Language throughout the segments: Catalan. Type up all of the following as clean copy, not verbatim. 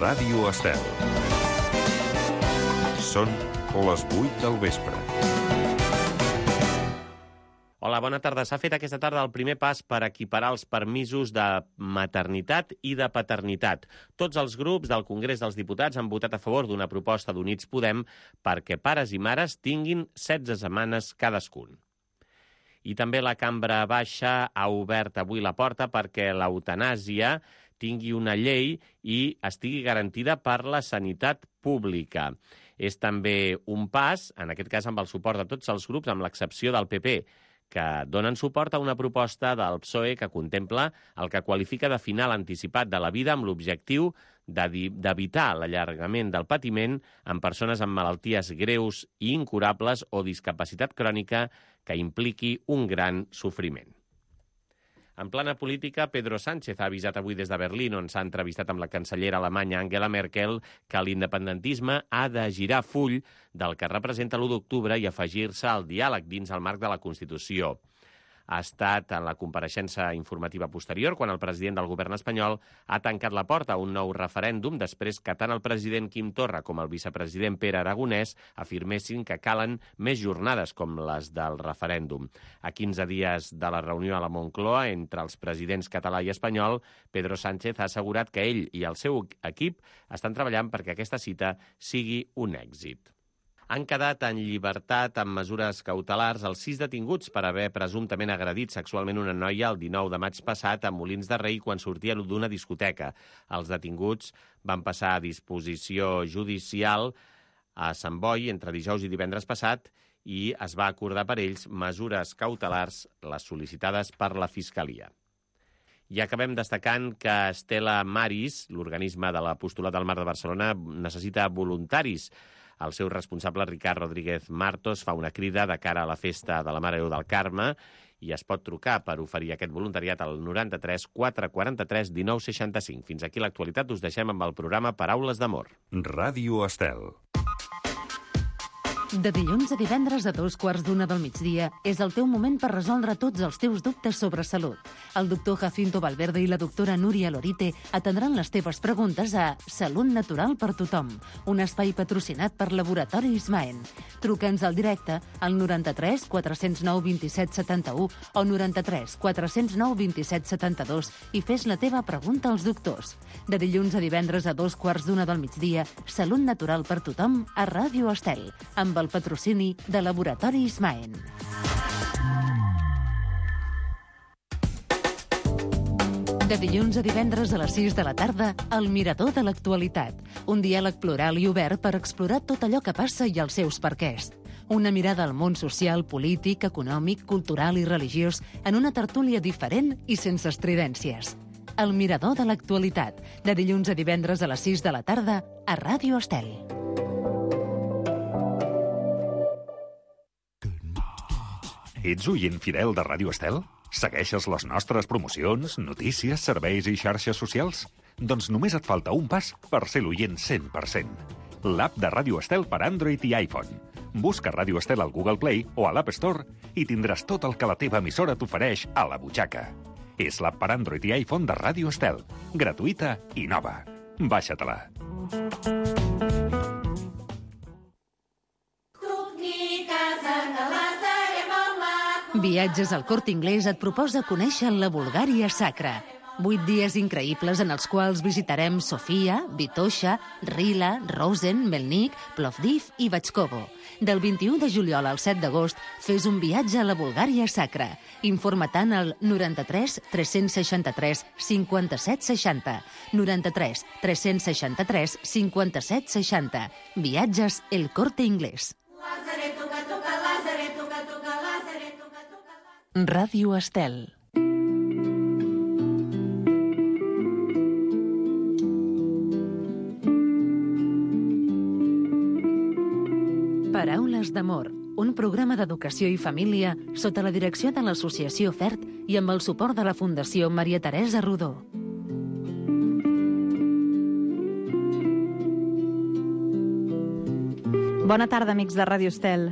Ràdio Estel. Són les 8 del vespre. Hola, bona tarda. S'ha fet aquesta tarda el primer pas per equiparar els permisos de maternitat i de paternitat. Tots els grups del Congrés dels Diputats han votat a favor d'una proposta d'Units Podem perquè pares i mares tinguin 16 setmanes cadascun. I també la Cambra Baixa ha obert avui la porta perquè l'eutanàsia tingui una llei i estigui garantida per la sanitat pública. És també un pas, en aquest cas amb el suport de tots els grups, amb l'excepció del PP, que donen suport a una proposta del PSOE que contempla el que qualifica de final anticipat de la vida amb l'objectiu d'evitar l'allargament del patiment en persones amb malalties greus i incurables o discapacitat crònica que impliqui un gran sofriment. En plana política, Pedro Sánchez ha avisat avui des de Berlín, on s'ha entrevistat amb la cancellera alemanya Angela Merkel, que l'independentisme ha de girar full del que representa l'1 d'octubre i afegir-se al diàleg dins el marc de la Constitució. Ha estat en la compareixença informativa posterior quan el president del govern espanyol ha tancat la porta a un nou referèndum després que tant el president Quim Torra com el vicepresident Pere Aragonès afirmessin que calen més jornades com les del referèndum. A 15 dies de la reunió a la Moncloa entre els presidents català i espanyol, Pedro Sánchez ha assegurat que ell i el seu equip estan treballant perquè aquesta cita sigui un èxit. Han quedat en llibertat amb mesures cautelars els 6 detinguts per haver presumptament agredit sexualment una noia el 19 de maig passat a Molins de Rei quan sortia d'una discoteca. Els detinguts van passar a disposició judicial a Sant Boi entre dijous i divendres passat i es va acordar per ells mesures cautelars, les sol·licitades per la Fiscalia. I acabem destacant que Stella Maris, l'organisme de l'Apostolat del Mar de Barcelona, necessita voluntaris. El seu responsable, Ricard Rodríguez Martos, fa una crida de cara a la festa de la Mare de Déu del Carme i es pot trucar per oferir aquest voluntariat al 93 443 19 65. Fins aquí l'actualitat. Us deixem amb el programa Paraules d'Amor. Ràdio Estel. De dilluns a divendres a 2:15 del migdia és el teu moment per resoldre tots els teus dubtes sobre salut. El doctor Jacinto Valverde i la doctora Núria Lorite atendran les teves preguntes a Salut Natural per Tothom, un espai patrocinat per Laboratori Ismaen. Truca'ns al directe al 93 409 27 71 o 93 409 27 72 i fes la teva pregunta als doctors. De dilluns a divendres a 2:15 del migdia, Salut Natural per Tothom a Ràdio Estel, amb el patrocini de Laboratori Ismaen. De dilluns a divendres a les 6 de la tarda, El Mirador de l'Actualitat. Un diàleg plural i obert per explorar tot allò que passa i els seus perquès. Una mirada al món social, polític, econòmic, cultural i religiós en una tertúlia diferent i sense estridències. El Mirador de l'Actualitat. De dilluns a divendres a les 6 de la tarda a Ràdio Estel. Ets oient fidel de Ràdio Estel? Segueixes les nostres promocions, notícies, serveis i xarxes socials? Doncs només et falta un pas per ser l'oient 100%. L'app de Ràdio Estel per Android i iPhone. Busca Ràdio Estel al Google Play o a l'App Store i tindràs tot el que la teva emissora t'ofereix a la butxaca. És l'app per Android i iPhone de Ràdio Estel. Gratuïta i nova. Baixa-te-la. Viatges al Corte Inglés et proposa conèixer la Bulgària sacra. 8 dies increïbles en els quals visitarem Sofia, Vitoša, Rila, Rosen, Melnik, Plovdiv i Batxkovo. Del 21 de juliol al 7 d'agost fes un viatge a la Bulgària sacra. Informa-te'n al 93 363 57 60. 93 363 57 60. Viatges El Corte Inglés. Ràdio Estel. Paraules d'Amor, un programa d'educació i família sota la direcció de l'Associació FERT i amb el suport de la Fundació Maria Teresa Rodó. Bona tarda, amics de Ràdio Estel.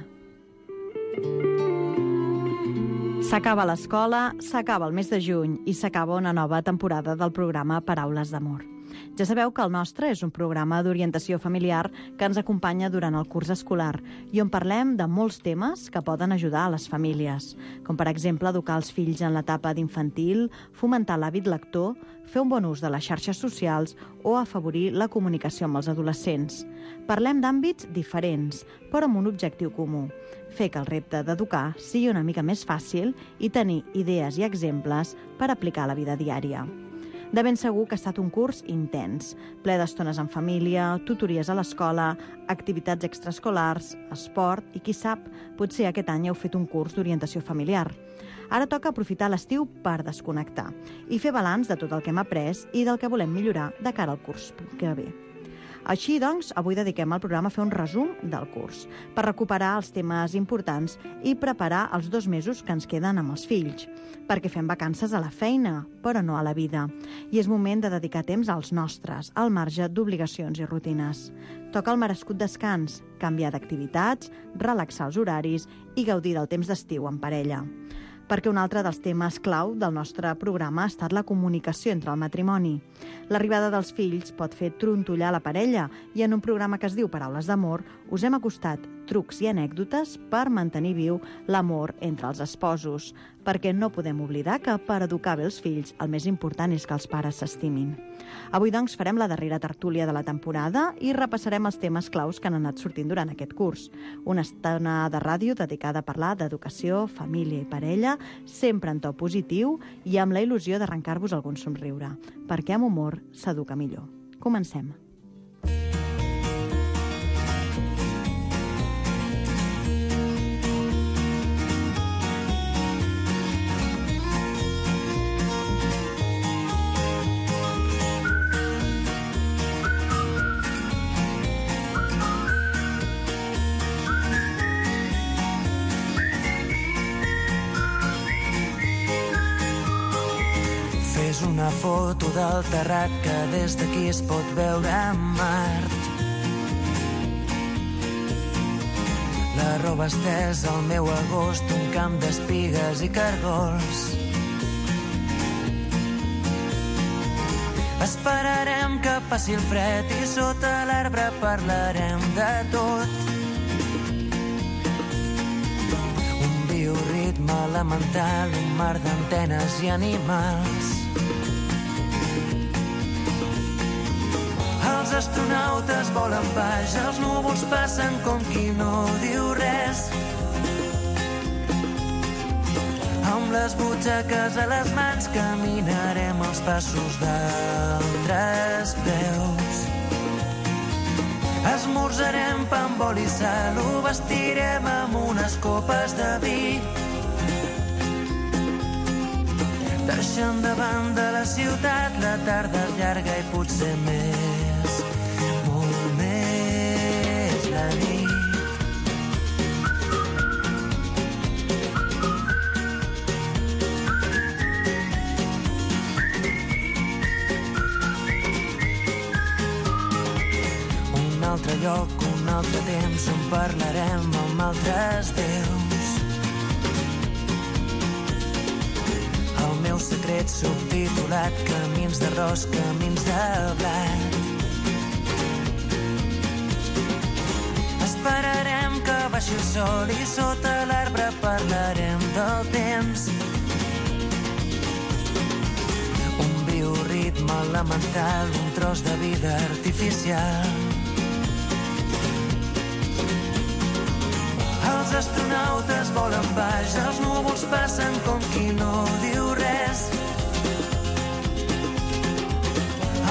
S'acaba l'escola, s'acaba el mes de juny i s'acaba una nova temporada del programa Paraules d'Amor. Ja sabeu que el nostre és un programa d'orientació familiar que ens acompanya durant el curs escolar i on parlem de molts temes que poden ajudar a les famílies, com per exemple educar els fills en l'etapa d'infantil, fomentar l'hàbit lector, fer un bon ús de les xarxes socials o afavorir la comunicació amb els adolescents. Parlem d'àmbits diferents, però amb un objectiu comú: fer que el repte d'educar sigui una mica més fàcil i tenir idees i exemples per aplicar a la vida diària. De ben segur que ha estat un curs intens, ple d'estones en família, tutories a l'escola, activitats extraescolars, esport i, qui sap, potser aquest any heu fet un curs d'orientació familiar. Ara toca aprofitar l'estiu per desconnectar i fer balanç de tot el que hem après i del que volem millorar de cara al curs que ve. Així, doncs, avui dediquem al programa a fer un resum del curs, per recuperar els temes importants i preparar els 2 mesos que ens queden amb els fills, perquè fem vacances a la feina, però no a la vida. I és moment de dedicar temps als nostres, al marge d'obligacions i rutines. Toca el merescut descans, canviar d'activitats, relaxar els horaris i gaudir del temps d'estiu en parella. Perquè un altre dels temes clau del nostre programa ha estat la comunicació entre el matrimoni. L'arribada dels fills pot fer trontollar la parella i en un programa que es diu Paraules d'amor us hem acostat trucs i anècdotes per mantenir viu l'amor entre els esposos, perquè no podem oblidar que per educar bé els fills el més important és que els pares s'estimin. Avui, doncs, farem la darrera tertúlia de la temporada i repassarem els temes claus que han anat sortint durant aquest curs. Una estona de ràdio dedicada a parlar d'educació, família i parella, sempre en to positiu i amb la il·lusió d'arrencar-vos algun somriure, perquè amb humor s'educa millor. Comencem. Una foto del terrat que des d'aquí es pot veure en Mart. La roba estesa al meu agost, un camp d'espigues i cargols. Esperarem que passi el fred i sota l'arbre parlarem de tot. Un bioritme elemental, un mar d'antenes i animals. Els astronautes volen baix, els núvols passen com qui no diu res. Amb les butxaques a les mans caminarem els passos d'altres peus. Esmorzarem pa amb oli i sal, ho vestirem amb unes copes de vi. Deixant de banda la ciutat, la tarda és llarga i potser més, molt més la nit. Un altre lloc, un altre temps on parlarem amb altres déus. El meu secret subtitulat, camins d'arròs, camins de blat. Esperarem que baixi el sol i sota l'arbre parlarem del temps. Un bioritme elemental, un tros de vida artificial. Els astronautes volen baix, els núvols passen com qui no diu res.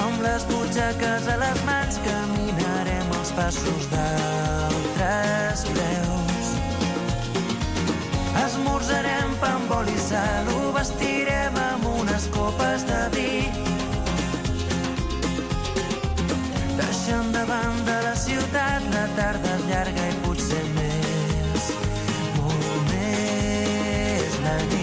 Amb les butxaques a les mans caminarem els passos d'altres peus. Esmorzarem pa amb oli i sal, ho vestirem amb unes copes de vi. Deixant de banda la ciutat, la tarda és llarga i potser més, molt més la nit.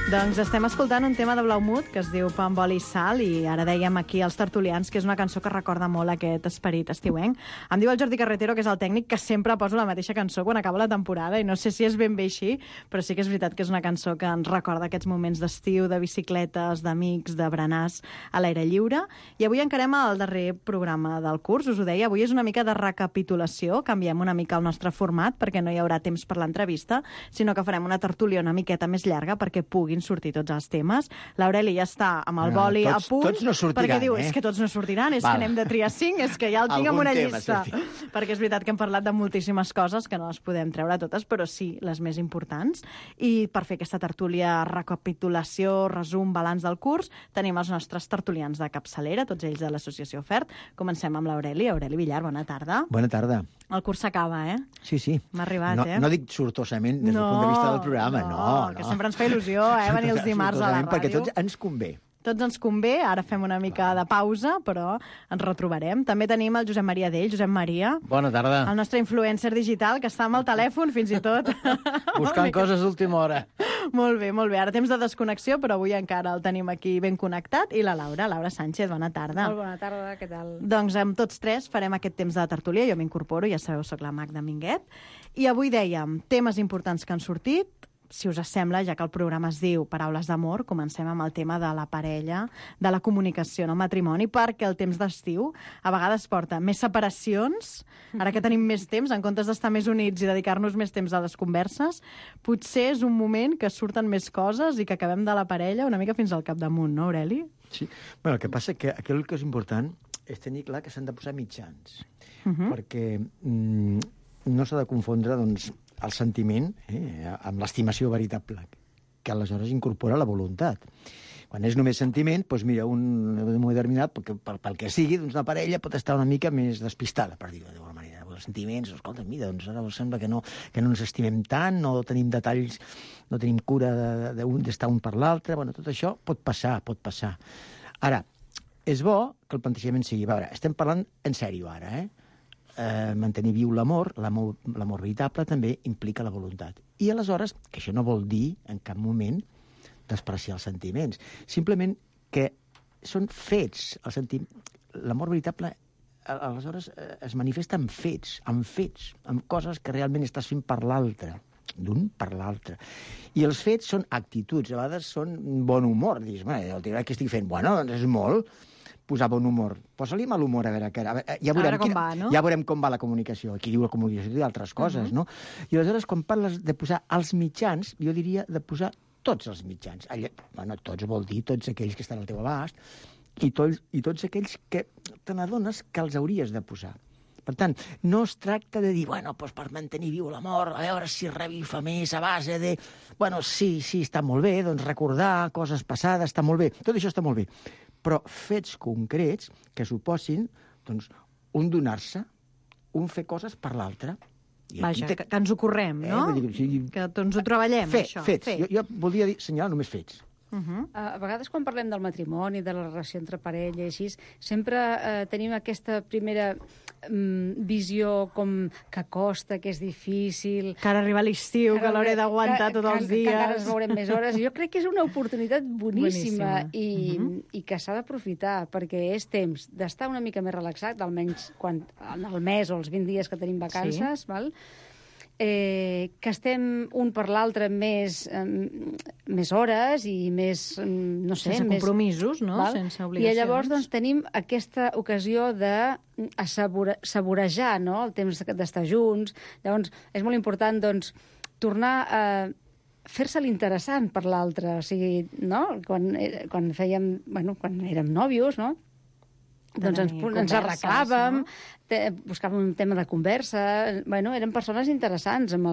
Doncs estem escoltant un tema de Blaumut que es diu Pa amb oli i sal, i ara dèiem aquí als tertulians que és una cançó que recorda molt aquest esperit estiuenc. Em diu el Jordi Carretero, que és el tècnic, que sempre poso la mateixa cançó quan acaba la temporada, i no sé si és ben bé així, però sí que és veritat que és una cançó que ens recorda aquests moments d'estiu, de bicicletes, d'amics, de berenars a l'aire lliure. I avui encarem el darrer programa del curs, us ho deia, avui és una mica de recapitulació, canviem una mica el nostre format perquè no hi haurà temps per l'entrevista, sinó que farem una tertúlia una miqueta més llarga perquè puguin sortir tots els temes. L'Aureli ja està amb el boli a punt. Tots no sortiran, perquè diu, és que tots no sortiran, és que anem de triar 5, és que ja el tinc en una llista. Perquè és veritat que hem parlat de moltíssimes coses que no les podem treure totes, però sí les més importants. I per fer aquesta tertúlia, recapitulació, resum, balanç del curs, tenim els nostres tertulians de capçalera, tots ells de l'Associació FERT. Comencem amb l'Aureli. Aureli Villar, bona tarda. Bona tarda. El curs s'acaba, eh? Sí, sí. M'ha arribat, No dic sortosament des del punt de vista del programa, no. Que sempre ens fa il·lusió, venir els dimarts a la ràdio. Perquè tots ens convé. Tots ens convé, ara fem una mica de pausa, però ens retrobarem. També tenim el Josep Maria Dell. Josep Maria. Bona tarda. El nostre influencer digital, que està amb el telèfon, fins i tot. Buscant coses d'última hora. Molt bé, molt bé. Ara temps de desconnexió, però avui encara el tenim aquí ben connectat. I la Laura Sánchez, bona tarda. Molt bona tarda, què tal? Doncs amb tots tres farem aquest temps de tertúlia. Jo m'incorporo, ja sabeu, soc la Magda Minguet. I avui dèiem temes importants que han sortit. Si us sembla, ja que el programa es diu Paraules d'amor, comencem amb el tema de la parella, de la comunicació en el matrimoni, perquè el temps d'estiu a vegades porta més separacions. Ara que tenim més temps, en comptes d'estar més units i dedicar-nos més temps a les converses, potser és un moment que surten més coses i que acabem de la parella una mica fins al capdamunt, no, Aureli? Sí. Bueno, el que passa que aquí el que és important és tenir clar que s'han de posar mitjans, perquè no s'ha de confondre, doncs, el sentiment amb l'estimació veritable, que aleshores incorpora la voluntat. Quan és només sentiment, doncs mira, un moment determinat, pel que sigui, doncs la parella pot estar una mica més despistada, per dir-ho d'alguna manera. Els sentiments, escolta, mira, doncs ara sembla que no ens estimem tant, no tenim detalls, no tenim cura d'estar un per l'altre, bueno, tot això pot passar. Ara, és bo que el plantejament sigui, a veure, estem parlant en sèrio ara, mantenir viu l'amor veritable també implica la voluntat. I aleshores, que això no vol dir en cap moment despreciar els sentiments, simplement que són fets. L'amor veritable aleshores es manifesta amb fets, amb coses que realment estàs fent per l'altre, d'un per l'altre. I els fets són actituds, a vegades són bon humor. Dius, el tirar que estic fent, bueno, doncs és molt posar bon humor. Posa-li mal humor, a veure, ja veurem com va la comunicació. Aquí diu la comunicació i altres coses, no? I aleshores, quan parles de posar els mitjans, jo diria de posar tots els mitjans. Bueno, tots vol dir tots aquells que estan al teu abast i tots aquells que te n'adones que els hauries de posar. Per tant, no es tracta de dir, bueno, doncs per mantenir viu l'amor, a veure si revifa més a base de... Bueno, sí, està molt bé, doncs recordar coses passades està molt bé. Tot això està molt bé. Però fets concrets que suposin, doncs, un donar-se, un fer coses per l'altre. Vaja, que ens ho correm, no? Que ens ho treballem, això. Fets. Jo voldria assenyalar només fets. A vegades quan parlem del matrimoni, de la relació entre parella i així, sempre tenim aquesta primera visió com que costa, que és difícil... Que ara arriba l'estiu, que l'hauré d'aguantar tots els dies... Que encara es veurem més hores. Jo crec que és una oportunitat boníssima. I que s'ha d'aprofitar, perquè és temps d'estar una mica més relaxat, almenys en el mes o els 20 dies que tenim vacances, val? Que estem un per l'altre més hores i més, no sé... Sense compromisos, no? Sense obligacions. I llavors doncs, tenim aquesta ocasió de saborejar, no?, el temps d'estar junts. Llavors és molt important doncs, tornar a fer-se l'interessant per l'altre. O sigui, no?, quan érem nòvios, no?, doncs ens arreglàvem, buscàvem un tema de conversa... Bueno, eren persones interessants amb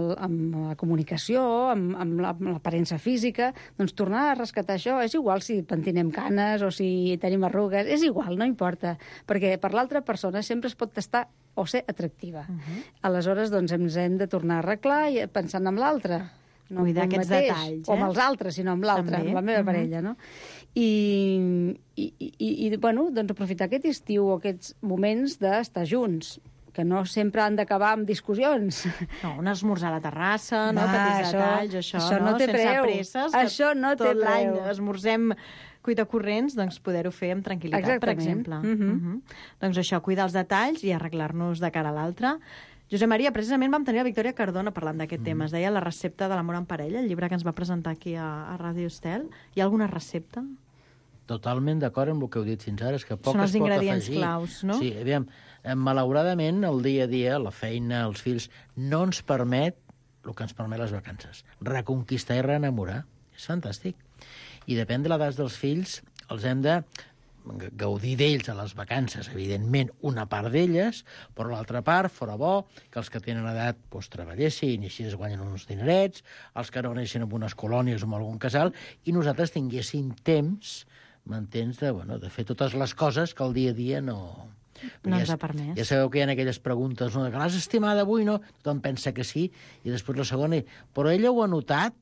la comunicació, amb l'aparença física. Doncs tornar a rescatar això, és igual si pentinem canes o si tenim arrugues, és igual, no importa, perquè per l'altra persona sempre es pot tastar o ser atractiva. Aleshores, doncs, ens hem de tornar a arreglar i pensant en l'altre. No cuidar aquests detalls, o amb els altres, sinó amb l'altre, amb la meva parella, no? I bueno, doncs aprofitar aquest estiu o aquests moments d'estar junts. que no sempre han d'acabar amb discussions. No, un esmorzar a la terrassa, no? Petits detalls, això no té preu. Sense presses. Això no té tot l'any preu. esmorzem cuita corrents, doncs poder-ho fer amb tranquil·litat, per exemple. Doncs això, cuidar els detalls i arreglar-nos de cara a l'altre. Josep Maria, precisament vam tenir la Victòria Cardona parlant d'aquest tema. Es deia La recepta de l'amor en parella, el llibre que ens va presentar aquí a Ràdio Estel. Hi ha alguna recepta? Totalment d'acord amb el que heu dit fins ara, és que poc Són els es pot ingredients afegir. claus, no? Sí, aviam, malauradament, el dia a dia, la feina, els fills, no ens permet el que ens permet les vacances. Reconquistar i reenamorar. És fantàstic. I depèn de l'edat dels fills, els hem de gaudir d'ells a les vacances, evidentment, una part d'elles, però l'altra part, fora bo, que els que tenen edat doncs, treballessin i així es guanyen uns dinerets, els que no anessin en unes colònies o en algun casal, i nosaltres tinguéssim temps, m'entens, de fer totes les coses que el dia a dia no ens ha permès. Ja sabeu que hi ha aquelles preguntes, no, que l'has estimada avui, no? Tothom pensa que sí, i després la segona, però ella ho ha notat?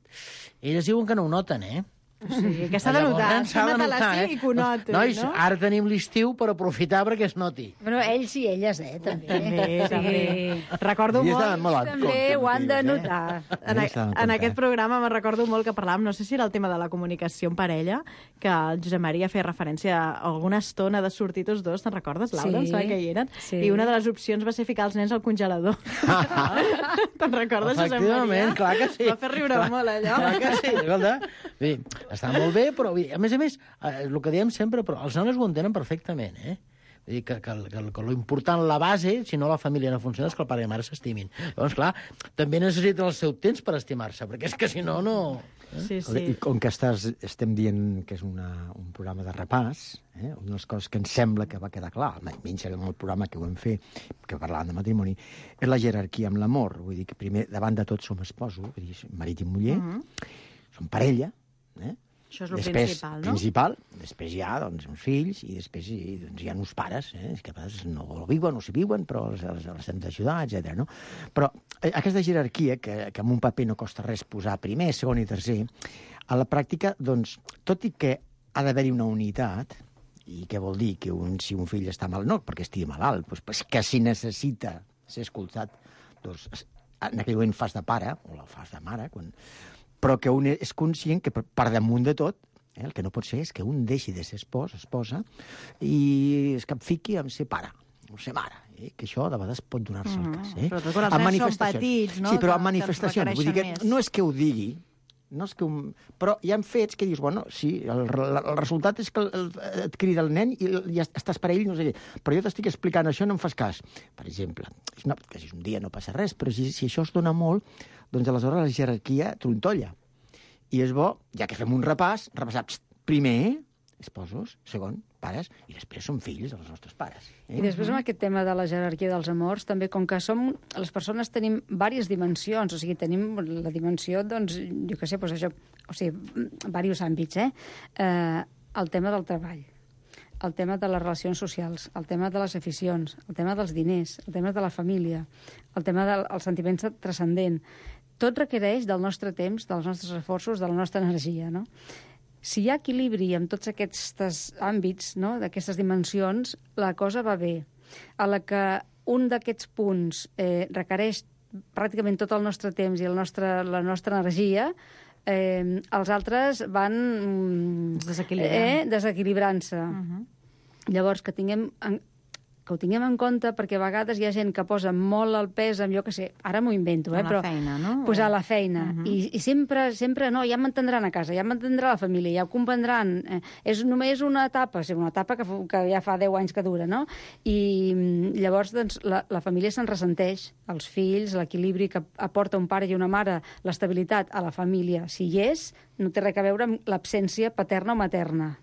Elles diuen que no ho noten, eh? Sí, que s'ha de notar. Sona-te-la sí i que ho noti, Nois, no? ara tenim l'estiu per aprofitar perquè es noti. Bueno, ells i elles, també. També. Recordo molt... També ho han de notar. En aquest programa me recordo molt que parlàvem, no sé si era el tema de la comunicació en parella, que el Josep Maria feia referència a alguna estona de sortir tots dos, te'n recordes, Laura? Sí. Em que hi eren? Sí. I una de les opcions va ser ficar els nens al congelador. Te'n recordes, Josep Maria? Efectivament, clar que sí. Va fer riure molt, allò. Clar que sí, escolta. Està molt bé, però a més, el que diem sempre, però els nanos ho entenen perfectament, eh? Vull dir que l'important, la base, si no la família no funciona, és que el pare i la mare s'estimin. Llavors, clar, també necessiten el seu temps per estimar-se, perquè és que si no, no... Sí, I sí. com que estem dient que és un programa de repàs, una de les coses que ens sembla que va quedar clar, almenys en el programa que ho vam fer, que parlàvem de matrimoni, és la jerarquia amb l'amor. Vull dir que primer, davant de tot, som esposos, vull dir, marit i muller, som parella, Això és el principal, després hi ha doncs, uns fills i després hi ha uns pares, que a vegades no viuen, no s'hi viuen, però els hem d'ajudar, etc. No? Però aquesta jerarquia, que en un paper no costa res posar primer, segon i tercer, a la pràctica, doncs, tot i que ha d'haver-hi una unitat, i què vol dir? Que si un fill està mal, no perquè estigui malalt, doncs, que si necessita ser escoltat, doncs, en aquell moment fas de pare, o la fas de mare, però que un és conscient que per damunt de tot, el que no pot ser és que un deixi de ser esposa, i es capfiqui en ser pare, o ser mare. Que això de vegades pot donar-se el cas. Sobretot quan els nens són petits, no? Sí, però amb manifestacions. Vull dir que no és que ho digui, però hi ha fets que dius, bueno, sí, el resultat és que et crida el nen i ja estàs per ell, no sé què. Però jo t'estic explicant això, no em fas cas. Per exemple, que si un dia no passa res, però si això es dona molt, doncs aleshores la jerarquia trontolla. I és bo, ja que fem un repàs, repassar primer esposos, segon, pares, i després són fills dels nostres pares. I després amb aquest tema de la jerarquia dels amors, també com que les persones tenim diverses dimensions, o sigui, tenim la dimensió, doncs, jo què sé, doncs això, o sigui, diversos àmbits, el tema del treball, el tema de les relacions socials, el tema de les aficions, el tema dels diners, el tema de la família, el tema dels sentiments transcendent. Tot requereix del nostre temps, dels nostres esforços, de la nostra energia, no? Si hi ha equilibri en tots aquests àmbits, no?, d'aquestes dimensions, la cosa va bé. A la que un d'aquests punts requereix pràcticament tot el nostre temps i la nostra energia, els altres van desequilibrant-se. Llavors, que ho tinguem en compte, perquè a vegades hi ha gent que posa molt el pes en, jo què sé, ara m'ho invento, però... A la feina, no? Posar la feina. I sempre, no, ja m'entendran a casa, ja m'entendrà la família, ja ho comprendran. És només una etapa que ja fa 10 anys que dura, no? I llavors, doncs, la família se'n ressenteix, els fills, l'equilibri que aporta un pare i una mare, l'estabilitat a la família, si hi és, no té res a veure amb l'absència paterna o materna.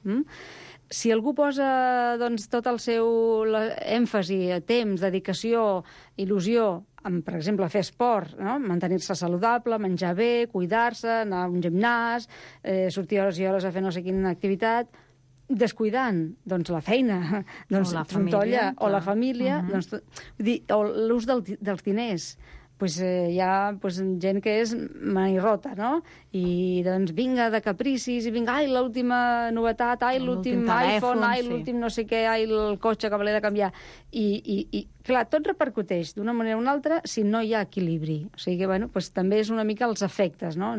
Si algú posa doncs, tot el seu èmfasi, temps, dedicació, il·lusió, per exemple, fer esport, no? Mantenir-se saludable, menjar bé, cuidar-se, anar a un gimnàs, sortir hores i hores a fer no sé quina activitat, descuidant doncs, la feina, doncs, o la família, o la família, doncs, o l'ús dels diners. hi ha gent que és manirrota, no? I doncs vinga de capricis, i vinga, ai, l'última novetat, ai, l'últim iPhone, ai, l'últim no sé què, ai, el cotxe que me l'he de canviar. I clar, tot repercuteix d'una manera o una altra si no hi ha equilibri. O sigui que, bueno, doncs també és una mica els efectes, no?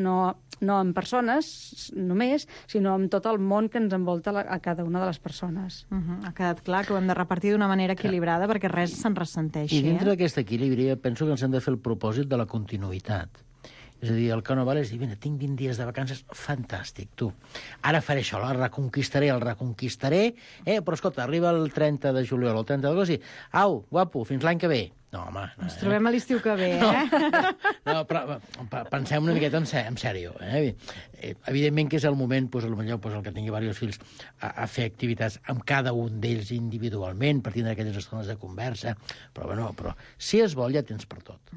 No en persones només, sinó en tot el món que ens envolta a cada una de les persones. Ha quedat clar que ho hem de repartir d'una manera equilibrada perquè res se'n ressenteixi. I dintre d'aquest equilibri penso que ens hem de fer el propòsit de la continuïtat. És a dir, el que no val és dir, mira, tinc 20 dies de vacances, fantàstic, tu. Ara faré això, el reconquistaré, però escolta, arriba el 30 de juliol o el 30 d'agost i, au, guapo, fins l'any que ve. No, home... Ens trobem a l'estiu que ve, No, però pensem una miqueta en sèrio. Evidentment que és el moment, potser el que tingui diversos fills, a fer activitats amb cada un d'ells individualment, per tindre aquelles estones de conversa, però si es vol ja tens per tot.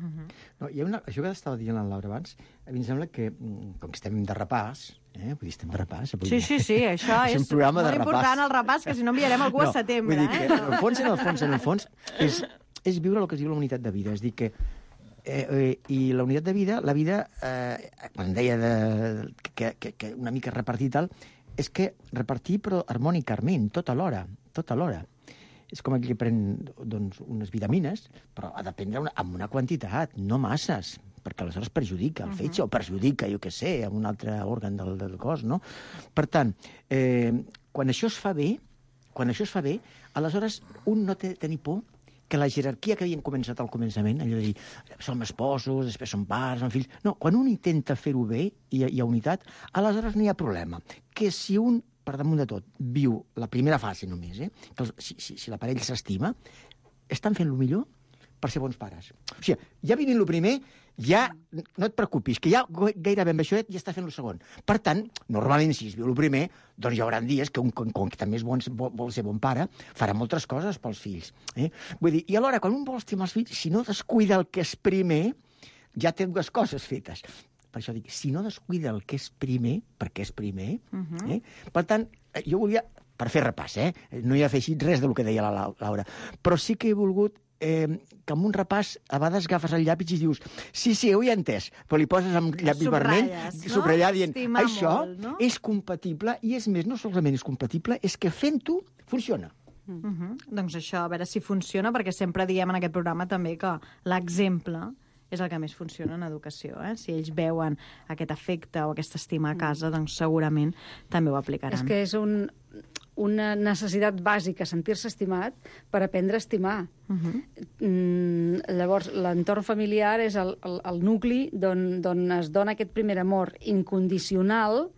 No, hi ha això que estava dient la Laura abans, a mi em sembla que, com que estem de repàs, vull dir, estem de repàs... Sí, això és un programa molt de repàs. important, el repàs, que si no enviarem algú a setembre. Vull dir que, en el fons, és viure el que es diu la unitat de vida. És dir que i la unitat de vida, quan deia que una mica repartir tal, és que repartir però harmònicament, tot alhora. És com aquell que pren unes vitamines, però ha de prendre amb una quantitat, no masses, perquè aleshores perjudica el fetge o perjudica, jo què sé, amb un altre òrgan del cos, no? Per tant, quan això es fa bé, aleshores un no té de tenir por que la jerarquia que havien començat al començament, allò de dir, som esposos, després som pares, som fills... No, quan un intenta fer-ho bé i hi ha unitat, aleshores no hi ha problema. Que si un, per damunt de tot, viu la primera fase només, que si l'aparell s'estima, estan fent el millor per ser bons pares. O sigui, ja vivint el primer, ja no et preocupis, que ja gairebé amb això ja està fent el segon. Per tant, normalment, si es viu el primer, doncs hi haurà dies que un que també vol ser bon pare, farà moltes coses pels fills. Vull dir, i alhora, quan un vol estimar els fills, si no descuida el que és primer, ja té dues coses fetes. Per això dic, si no descuida el que és primer, perquè és primer, per tant, jo volia, per fer repàs, no hi ha afegit res del que deia la Laura, però sí que he volgut que amb un repàs a vegades agafes el llapis i dius sí, ho he entès, però li poses amb llapis vermell, subratllar dient això és compatible i és més, no solament és compatible, és que fent-ho funciona. Doncs això, a veure si funciona, perquè sempre diem en aquest programa també que l'exemple és el que més funciona en educació. Si ells veuen aquest efecte o aquesta estima a casa, doncs segurament també ho aplicaran. És que és una necessitat bàsica, sentir-se estimat per aprendre a estimar. Llavors, l'entorn familiar és el nucli d'on es dona aquest primer amor incondicional,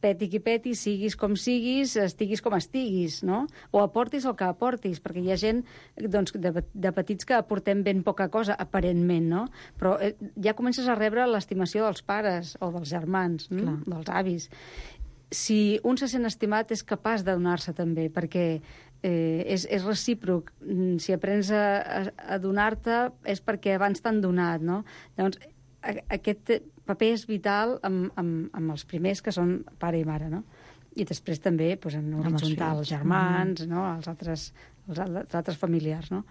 peti qui peti, siguis com siguis, estiguis com estiguis, no? O aportis el que aportis, perquè hi ha gent de petits que aportem ben poca cosa, aparentment, no? Però ja comences a rebre l'estimació dels pares o dels germans, dels avis. Si un se sent estimat és capaç de donar-se també, perquè és recíproc. Si aprens a donar-te és perquè abans t'han donat, no? Llavors, aquest paper és vital amb els primers, que són pare i mare, no? I després també en horitzontal, els germans, no? els altres familiars, no?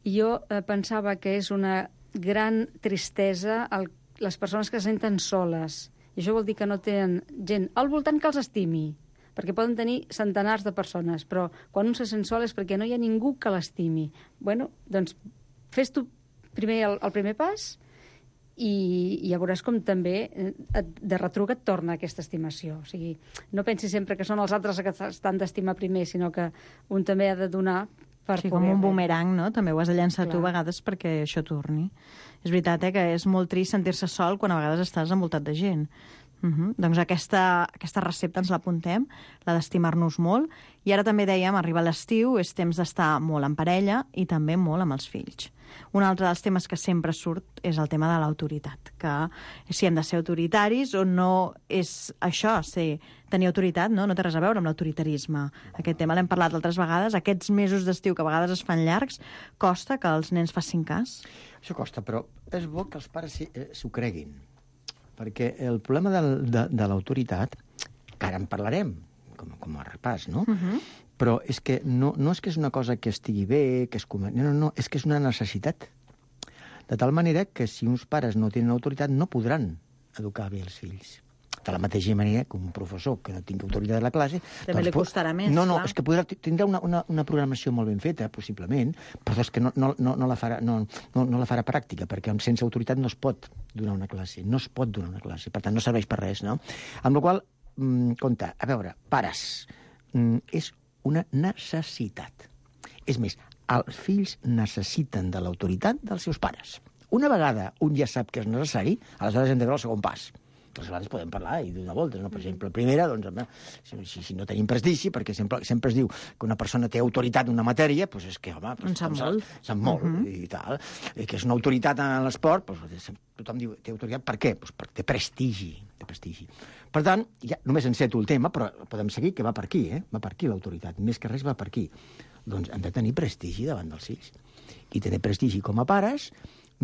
I jo pensava que és una gran tristesa les persones que se senten soles. I això vol dir que no tenen gent al voltant que els estimi, perquè poden tenir centenars de persones, però quan un se sent sol és perquè no hi ha ningú que l'estimi. Bueno, doncs fes tu primer el primer pas i ja veuràs com també de retruc et torna aquesta estimació. O sigui, no pensis sempre que són els altres que estan d'estimar primer, sinó que un també ha de donar per poder... com un bumerang, no? També ho has de llançar tu a vegades perquè això torni. És veritat, que és molt trist sentir-se sol quan a vegades estàs envoltat de gent. Doncs aquesta recepta ens l'apuntem, la d'estimar-nos molt. I ara també dèiem, arriba l'estiu, és temps d'estar molt en parella i també molt amb els fills. Un altre dels temes que sempre surt és el tema de l'autoritat, que si hem de ser autoritaris o no és això, tenir autoritat, no té res a veure amb l'autoritarisme. Aquest tema l'hem parlat altres vegades, aquests mesos d'estiu que a vegades es fan llargs, costa que els nens facin cas? Això costa, però és bo que els pares s'ho creguin, perquè el problema de l'autoritat, que ara en parlarem, com a repàs, no? Però és que no és que és una cosa que estigui bé, que és no, és que és una necessitat. De tal manera que si uns pares no tenen autoritat no podran educar bé els fills. De la mateixa manera que un professor que no tingui autoritat a la classe... També li costarà més, No, clar. és que tindrà una programació molt ben feta, possiblement, però és que no la farà pràctica, perquè sense autoritat no es pot donar una classe, per tant no serveix per res, no? Amb la qual cosa, compte, a veure, pares, és una necessitat. És més, els fills necessiten de l'autoritat dels seus pares. Una vegada un ja sap que és necessari, aleshores hem de veure el segon pas. Aleshores podem parlar i donar voltes, no? Per exemple, primera, doncs, si no tenim prestigi, perquè sempre es diu que una persona té autoritat en una matèria, doncs és que, home... Sap molt, i tal. I que és una autoritat en l'esport, doncs tothom diu, té autoritat per què? Doncs perquè té prestigi. Per tant, ja només enceto el tema, però podem seguir que va per aquí, Va per aquí l'autoritat. Més que res va per aquí. Doncs hem de tenir prestigi davant dels fills. I tenir prestigi com a pares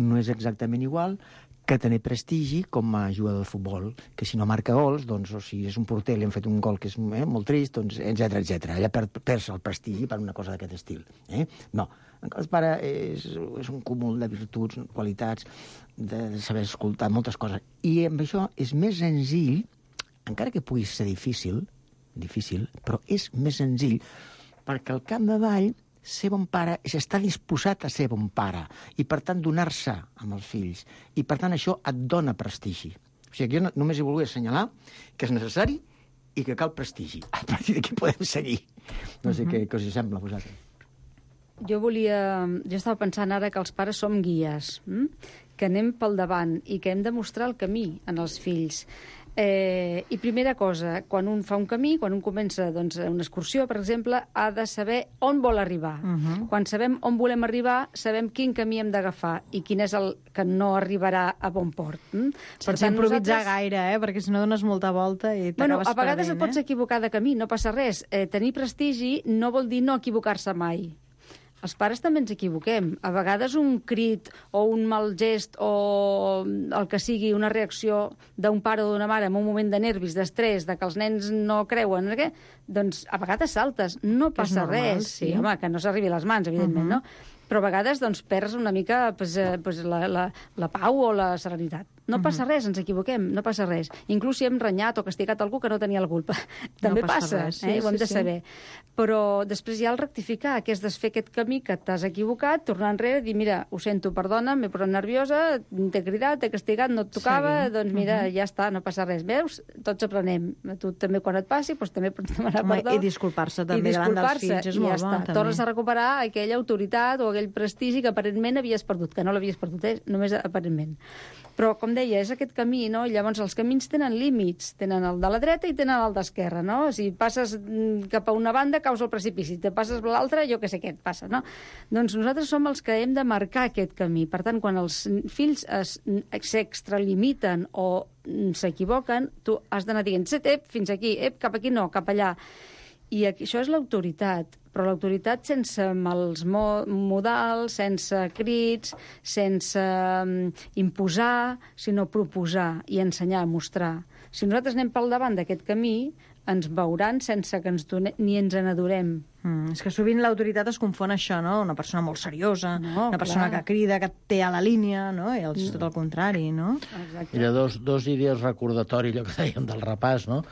no és exactament igual que tenir prestigi com a jugador de futbol, que si no marca gols, doncs, o si és un porter, li han fet un gol que és molt trist, doncs, etc. Allà perds el prestigi per una cosa d'aquest estil. No, el pare és un cúmul de virtuts, qualitats, de saber escoltar moltes coses. I amb això és més senzill, encara que pugui ser difícil, però és més senzill, perquè al capdavall ser bon pare és estar disposat a ser bon pare i, per tant, donar-se amb els fills. I, per tant, això et dona prestigi. O sigui, jo només hi volia assenyalar que és necessari i que cal prestigi. A partir d'aquí podem seguir. No sé què us sembla a vosaltres. Jo estava pensant ara que els pares som guies, que anem pel davant i que hem de mostrar el camí en els fills. I primera cosa, quan un fa un camí, quan un comença una excursió, per exemple, ha de saber on vol arribar. Quan sabem on volem arribar, sabem quin camí hem d'agafar i quin és el que no arribarà a bon port. Sense improvisar gaire, perquè si no dones molta volta i t'acabes perdent. A vegades et pots equivocar de camí, no passa res. Tenir prestigi no vol dir no equivocar-se mai. Els pares també ens equivoquem. A vegades un crit o un mal gest o el que sigui una reacció d'un pare o d'una mare en un moment de nervis, d'estrès, de que els nens no creuen, doncs a vegades saltes. No passa res. Sí, home, que no s'arribi a les mans, evidentment, no? Però a vegades perds una mica la pau o la serenitat. No passa res, ens equivoquem, no passa res. Inclús si hem renyat o castigat algú que no tenia la culpa. També passa, ho hem de saber. Però després hi ha el rectificar, que és desfer aquest camí que t'has equivocat, tornar enrere i dir, mira, ho sento, perdona, m'he posat nerviosa, t'he cridat, t'he castigat, no et tocava, doncs mira, ja està, no passa res. Veus? Tots aprenem. Tu també quan et passi, doncs també pots demanar perdó. I disculpar-se també davant dels fills, és molt bo. Tornes a recuperar aquella autoritat o aquell prestigi que aparentment havies perdut, que no l'havies perdut, només aparentment. Però, com deia, és aquest camí, no? Llavors, els camins tenen límits. Tenen el de la dreta i tenen el d'esquerra, no? Si passes cap a una banda, caus al precipici. Si te passes a l'altra, jo què sé què et passa, no? Doncs nosaltres som els que hem de marcar aquest camí. Per tant, quan els fills s'extralimiten o s'equivoquen, tu has d'anar dient, fins aquí, cap aquí no, cap allà. I això és l'autoritat, però l'autoritat sense mals modals, sense crits, sense imposar, sinó proposar i ensenyar, mostrar. Si nosaltres anem pel davant d'aquest camí, ens veuran sense que ni ens n'adorem. És que sovint l'autoritat es confon això, no? Una persona molt seriosa, una persona que crida, que té a la línia, no? I és tot el contrari, no? Exacte. Mira, dos idees recordatori, allò que dèiem del repàs, no?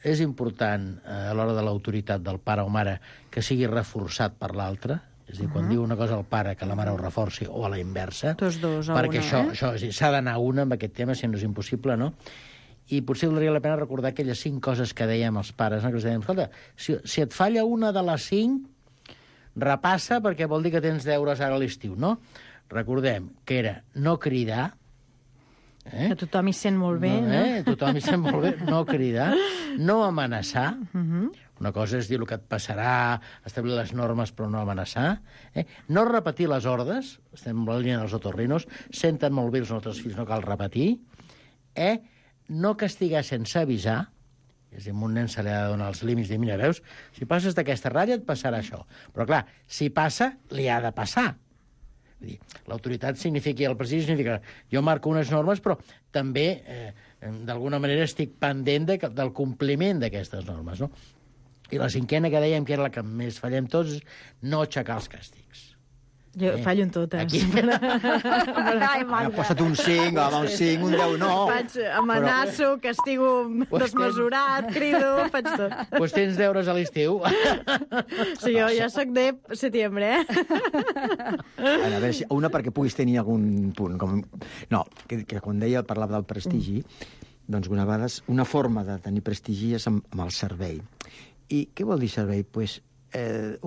És important, a l'hora de l'autoritat del pare o mare, que sigui reforçat per l'altre. És a dir, quan diu una cosa al pare, que la mare ho reforci, o a la inversa. Tots dos a perquè una, això s'ha d'anar una amb aquest tema, si no és impossible, no? I potser valdria la pena recordar aquelles 5 coses que dèiem als pares, no? Que els dèiem, escolta, si et falla una de les 5, repassa, perquè vol dir que tens deures ara a l'estiu, no? Recordem que era no cridar, que tothom hi sent molt bé, no? Tothom hi sent molt bé, no cridar, no amenaçar. Una cosa és dir el que et passarà, establir les normes però no amenaçar. No repetir les ordres, estem en la línia dels otorrinos, senten molt bé els nostres fills, no cal repetir. No castigar sense avisar, és a dir, a un nen se li ha de donar els límits, dir, mira, veus, si passes d'aquesta ratlla et passarà això. Però clar, si passa, li ha de passar. L'autoritat significa, el prestigi significa, jo marco unes normes, però també, d'alguna manera, estic pendent del compliment d'aquestes normes, no? I la 5a que dèiem, que era la que més fallem tots, és no aixecar els càstigs. Jo fallo en totes. Aquí. Ai, Magda. Posa't un 5, home, un 5, un 10, no. Faig amenaço, castigo desmesurat, crido, faig tot. Doncs tens deures a l'estiu. Sí, jo ja soc de setembre, A veure, una perquè puguis tenir algun punt. No, que quan deia, parlava del prestigi, doncs una vegada una forma de tenir prestigi és amb el servei. I què vol dir servei? Pues,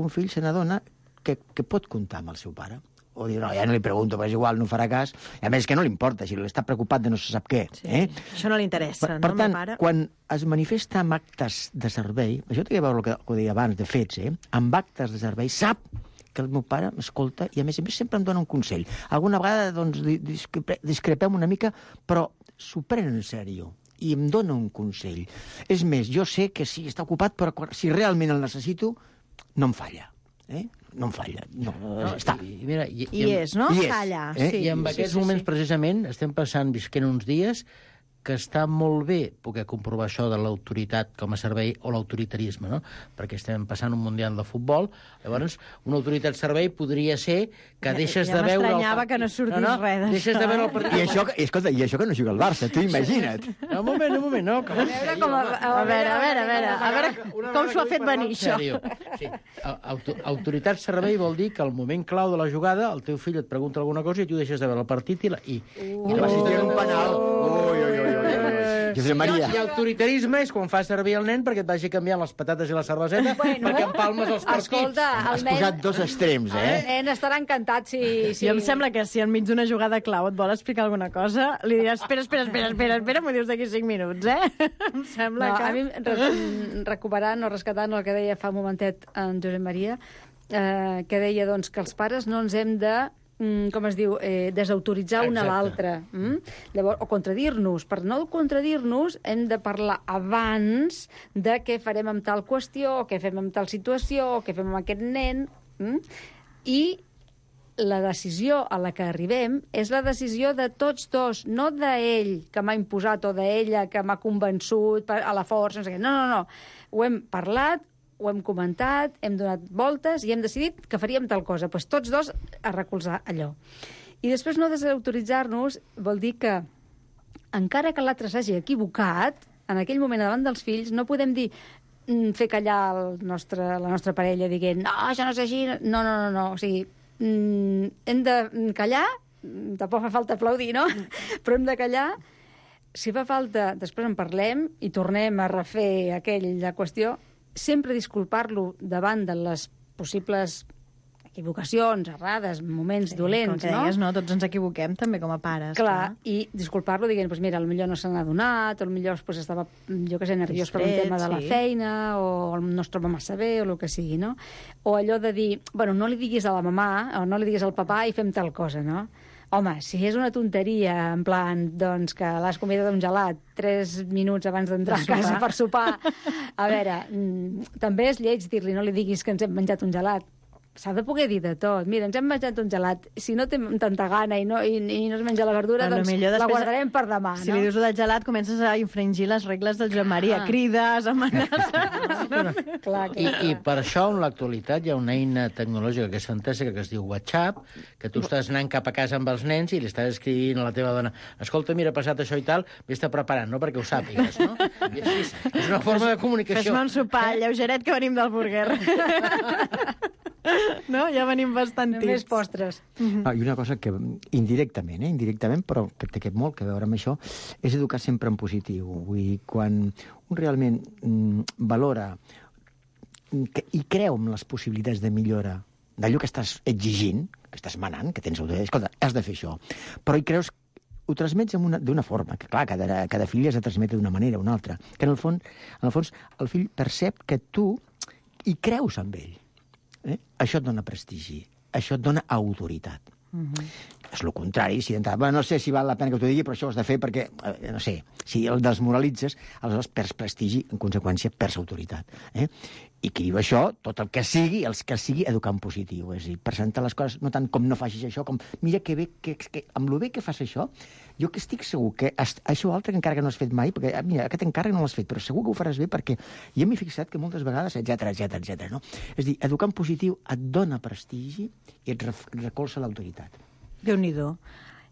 un fill se n'adona que pot comptar amb el seu pare. O dir, no, ja no li pregunto, però és igual, no farà cas. I a més, que no li importa, si està preocupat de no se sap què. Sí. Això no li interessa, per no, tant, pare? quan es manifesta amb actes de servei, això té a veure el que deia abans, de fets, amb actes de servei, sap que el meu pare m'escolta i, a més sempre em dona un consell. Alguna vegada, doncs, discrepem una mica, però s'ho pren en sèrio i em dona un consell. És més, jo sé que sí, està ocupat, però si realment el necessito, no em falla. No em falla. No, està. Mira, I és, no? I és. Calla. I en aquests moments, precisament, estem visquent uns dies que està molt bé poder comprovar això de l'autoritat com a servei o l'autoritarisme, no? Perquè estem passant un mundial de futbol, llavors una autoritat servei podria ser que deixes de veure... Ja m'estranyava que no sortís res d'això. Deixes de veure el partit... I això que no juga al Barça, tu imagina't. Un moment, no. Que A veure com s'ho ha fet venir, això. Sí. Autoritat servei vol dir que al moment clau de la jugada el teu fill et pregunta alguna cosa i tu deixes de veure el partit i L'assistent un penal. Josep Maria. I autoritarisme és quan fas servir el nen perquè et vagi canviant les patates i la cerveseta perquè empalmes els partits. Escolta, Has posat dos extrems, El nen estarà encantat si... Jo em sembla que si enmig d'una jugada clau et vol explicar alguna cosa, li diràs, espera, m'ho dius d'aquí 5 minuts, Em sembla que... A mi, recuperant o rescatant el que deia fa un momentet en Josep Maria, que deia doncs, que els pares no ens hem de com es diu, desautoritzar una a l'altra. Llavors, o contradir-nos. Per no contradir-nos, hem de parlar abans de què farem amb tal qüestió, o què fem amb tal situació, o què fem amb aquest nen. I la decisió a la que arribem és la decisió de tots dos, no d'ell que m'ha imposat o d'ella que m'ha convençut a la força. No sé què. No. Ho hem parlat, ho hem comentat, hem donat voltes i hem decidit que faríem tal cosa. Doncs tots dos a recolzar allò. I després no desautoritzar-nos vol dir que, encara que l'altre s'hagi equivocat, en aquell moment davant dels fills no podem dir fer callar la nostra parella dient no, això no és així. No. O sigui, hem de callar, tampoc fa falta aplaudir, no? Però hem de callar. Si fa falta, després en parlem i tornem a refer aquella qüestió, sempre disculpar-lo davant de les possibles equivocacions, errades, moments dolents, com que deies, no? Tots ens equivoquem també com a pares. Clar, i disculpar-lo dient, pues mira, potser no se n'ha adonat, o potser pues, estava, jo què sé, nerviós per un tema de la feina, o no es troba massa bé, o el que sigui, no? O allò de dir, bueno, no li diguis a la mamà, o no li diguis al papà i fem tal cosa, no? Home, si és una tonteria, en plan, doncs, que l'has convidat a un gelat 3 minuts abans d'entrar a casa per sopar, a veure, també és lleig dir-li, no li diguis que ens hem menjat un gelat. S'ha de poder dir de tot. Mira, ens hem menjat un gelat. Si no té tanta gana i no es menja la verdura, doncs la guardarem per demà, no? Si li dius del gelat, comences a infringir les regles del Joan Maria. Crides, amenaces... I per això, en l'actualitat, hi ha una eina tecnològica que és fantàstica, que es diu WhatsApp, que tu estàs anant cap a casa amb els nens i li estàs escrivint a la teva dona escolta, mira, ha passat això i tal, vés-te preparant, no?, perquè ho sàpigues, no? I així, és una forma de comunicació. Fes-me un sopar, lleugeret, que venim del burger. No? Ja venim bastant tips. Només postres. I una cosa que indirectament, però que té molt a veure amb això, és educar sempre en positiu. Vull dir, quan un realment valora i creu en les possibilitats de millora d'allò que estàs exigint, que estàs manant, que tens autoritat, escolta, has de fer això, però hi creus, ho transmets d'una forma, que clar, cada fill has de transmetre d'una manera o una altra, que en el fons el fill percep que tu hi creus amb ell. Això et dona prestigi, això et dona autoritat. És el contrari, si d'entrada, no sé si val la pena que t'ho digui, però això ho has de fer perquè, no sé, si el desmoralitzes, aleshores perds prestigi, en conseqüència perds autoritat. I qui diu això, tot el que sigui, educar en positiu, és a dir, presentar les coses no tant com no facis això, com mira que bé, que amb lo bé que fas això, Jo que estic segur que això altre que encara que no has fet mai, perquè mira, aquest encàrrec no l'has fet, però segur que ho faràs bé perquè jo m'he fixat que moltes vegades, etc, no? És a dir, educar en positiu et dona prestigi i et recolza l'autoritat. Déu-n'hi-do.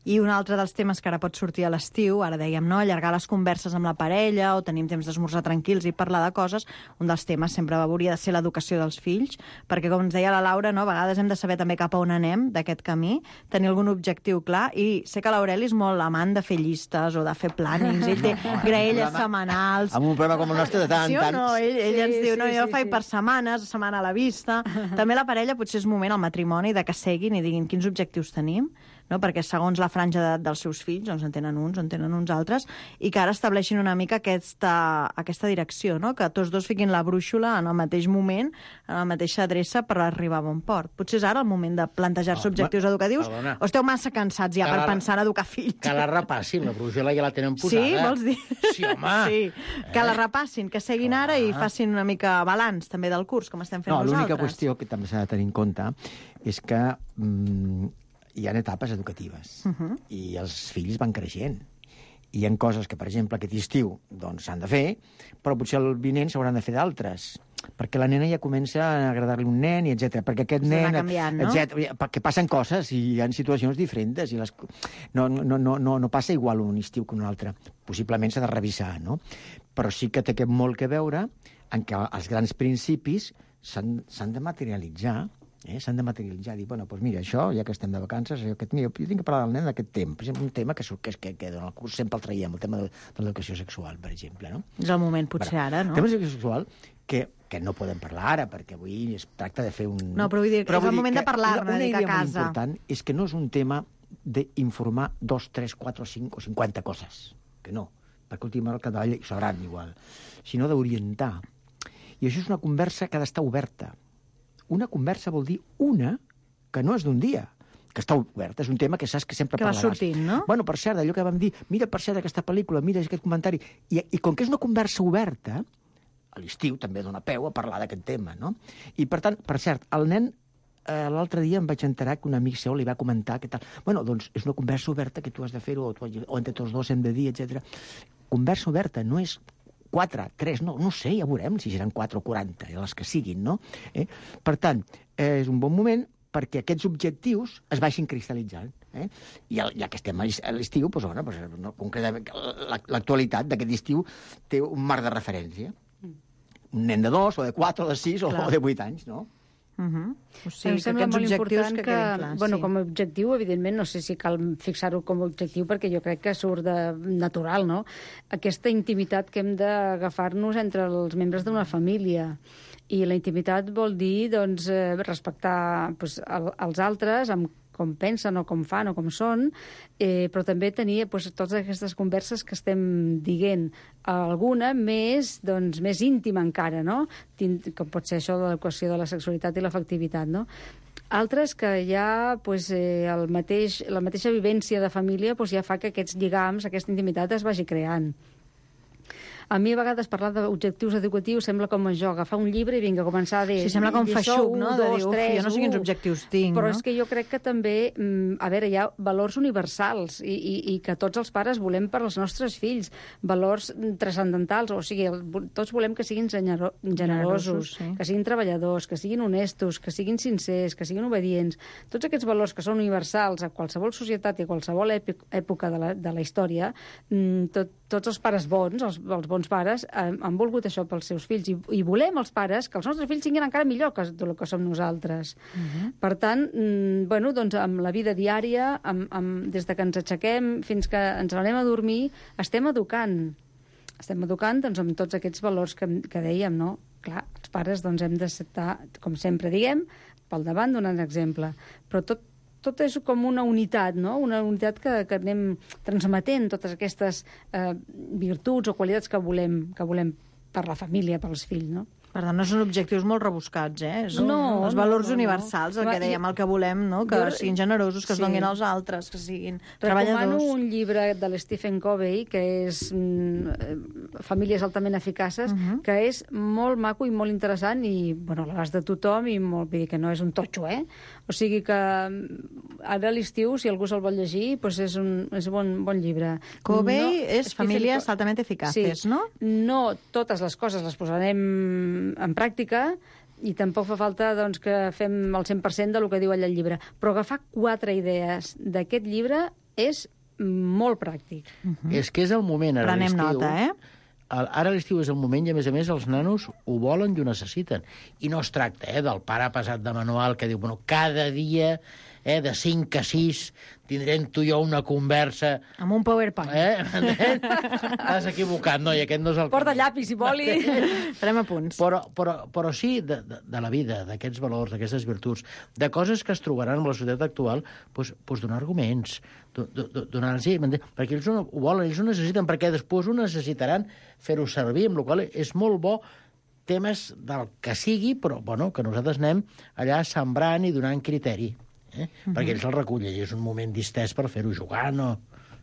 I un altre dels temes que ara pot sortir a l'estiu, ara dèiem, no?, allargar les converses amb la parella o tenim temps d'esmorzar tranquils i parlar de coses, un dels temes sempre hauria de ser l'educació dels fills, perquè, com ens deia la Laura, no?, a vegades hem de saber també cap a on anem d'aquest camí, tenir algun objectiu clar, i sé que l'Aureli és molt amant de fer llistes o de fer plànings, ell té graelles setmanals. Amb un programa com el nostre de tant. Sí o no? Ell ens diu, no, jo faig per setmanes, setmana a la vista. També la parella potser és moment, al matrimoni, de que seguin i diguin quins objectius tenim, no? Perquè segons la franja d'edat dels seus fills, doncs en tenen uns altres, i que ara estableixin una mica aquesta direcció, no? Que tots dos fiquin la brúixola en el mateix moment, en la mateixa adreça per arribar a bon port. Potser és ara el moment de plantejar-se objectius educatius, o esteu massa cansats ja per pensar en educar fills? Que la repassin, la brúixola ja la tenen posada. Sí, vols dir? Sí, home! Sí, que la repassin, que seguin ara i facin una mica balanç també del curs, com estem fent nosaltres. L'única qüestió que també s'ha de tenir en compte és que hi ha etapes educatives i els fills van creixent. Hi ha coses que, per exemple, aquest estiu doncs s'han de fer, però potser el vinent s'hauran de fer d'altres, perquè la nena ja comença a agradar-li un nen, i etc. Perquè aquest nen... canviant, no? Perquè passen coses i hi ha situacions diferents i no passa igual un estiu que un altre. Possiblement s'ha de revisar, no? Però sí que té molt que veure en què els grans principis s'han de materialitzar. S'han de materialitzar, dir, bueno, doncs mira, això, ja que estem de vacances, jo tinc que parlar del nen d'aquest tema. Per exemple, un tema que en el curs sempre el traiem, el tema de l'educació sexual, per exemple, no? És el moment, potser, ara, no? El tema de l'educació sexual, que no podem parlar ara, perquè avui es tracta de fer un... No, però vull dir, és el moment de parlar-ne, una dic, a idea casa. molt important és que no és un tema d'informar 2, 3, 4, 5 o 50 coses, que no, perquè últimament cada vegada hi sabran igual, sinó d'orientar. I això és una conversa que ha d'estar oberta. Una conversa vol dir una que no és d'un dia, que està oberta. És un tema que saps que sempre parlaràs. Que va sortint, no? Bueno, per cert, allò que vam dir, mira, per cert, aquesta pel·lícula, mira aquest comentari. I com que és una conversa oberta, a l'estiu també dona peu a parlar d'aquest tema, no? I, per tant, per cert, el nen, l'altre dia em vaig enterar que un amic seu li va comentar que tal. Bueno, doncs és una conversa oberta que tu has de fer-ho, o entre tots dos hem de dir, etc. Conversa oberta no és 4, 3, no sé, ja veurem si seran 4 o 40, les que siguin, no? Per tant, és un bon moment perquè aquests objectius es vagin cristal·litzant. I ja que estem a l'estiu, l'actualitat d'aquest estiu té un marc de referència. Un nen de 2, o de 4, o de 6, o de 8 anys, no? O sigui, em sembla molt important que bueno, com a objectiu, evidentment, no sé si cal fixar-ho com a objectiu, perquè jo crec que surt de natural, no? Aquesta intimitat que hem d'agafar-nos entre els membres d'una família. I la intimitat vol dir, doncs, respectar els altres, amb com pensen o com fan o com són, però també tenir totes aquestes converses que estem dient. Alguna més íntima encara, no? Com pot ser això de l'educació de la sexualitat i l'afectivitat, no? Altres que ja la mateixa vivència de família ja fa que aquests lligams, aquesta intimitat es vagi creant. A mi a vegades parlar d'objectius educatius sembla com això, agafar un llibre i vinga, començar a dir... Sí, sembla com feixuc, no? De dir, jo no sé quins objectius tinc, però no? és que jo crec que també, hi ha valors universals i que tots els pares volem per als nostres fills, valors transcendentals, o sigui, tots volem que siguin generosos, sí. Que siguin treballadors, que siguin honestos, que siguin sincers, que siguin obedients. Tots aquests valors que són universals a qualsevol societat i a qualsevol època de la història, tots els pares bons, els bons pares, han volgut això pels seus fills i volem els pares que els nostres fills siguin encara millor que el que som nosaltres. Per tant, doncs amb la vida diària, des de que ens aixequem fins que ens anem a dormir, estem educant. Estem educant doncs, amb tots aquests valors que dèiem, no? Clar, els pares doncs, hem d'estar, com sempre diguem, pel davant donant exemple. Però tot és com una unitat, no? Una unitat que anem transmetent totes aquestes virtuts o qualitats que volem per la família, pels fills, no? Per tant, no són objectius molt rebuscats, els valors universals, el que dèiem, el que volem, no? Que siguin generosos, que es donin als altres, que siguin treballadors. Recomano un llibre de l'Stephen Covey, que és Famílies altament eficaces, que és molt maco i molt interessant i, a l'abast de tothom i vull dir que no és un totxo, O sigui que ara a l'estiu, si algú se'l vol llegir, doncs és un bon llibre. Covey és Famílies altamente eficaces, no? No totes les coses les posarem en pràctica, i tampoc fa falta doncs, que fem el 100% del que diu allà el llibre. Però agafar 4 idees d'aquest llibre és molt pràctic. És que és el moment, ara Prenem l'estiu. nota, Ara a l'estiu és el moment i, a més, els nanos ho volen i ho necessiten. I no es tracta del pare pesat de manual que diu, bueno, cada dia de 5 a 6 tindrem tu i jo una conversa... Amb un PowerPoint. T'has equivocat, no? I aquest no és el... Porta llapis i boli. Farem apunts. Però sí de la vida, d'aquests valors, d'aquestes virtuts, de coses que es trobaran en la societat actual, doncs donar arguments, donar-los... Perquè ells ho volen, ells ho necessiten, perquè després ho necessitaran fer-ho servir, amb la qual cosa és molt bo temes del que sigui, però bueno, que nosaltres anem allà sembrant i donant criteri. Perquè ells el recullen i és un moment distès per fer-ho jugant o...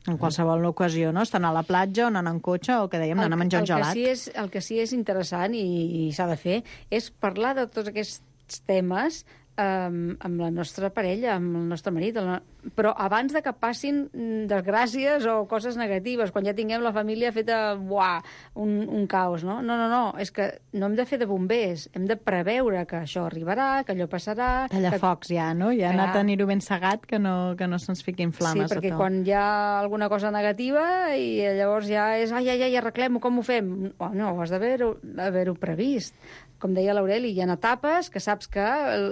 En qualsevol ocasió, no? Estan a la platja o anant en cotxe o, que dèiem, anant a menjar un gelat. El que sí és interessant i s'ha de fer és parlar de tots aquests temes amb la nostra parella, amb el nostre marit, però abans de que passin desgràcies o coses negatives, quan ja tinguem la família feta, un caos, no? No, és que no hem de fer de bombers, hem de preveure que això arribarà, que allò passarà... Tallafocs ja, no? Ja anar a tenir-ho ben segat, que no se'ns fiquin flames. Sí, perquè quan hi ha alguna cosa negativa i llavors ja és, ai, arreglem-ho, com ho fem? No, has d'haver-ho previst. Com deia l'Aureli, hi ha etapes que saps que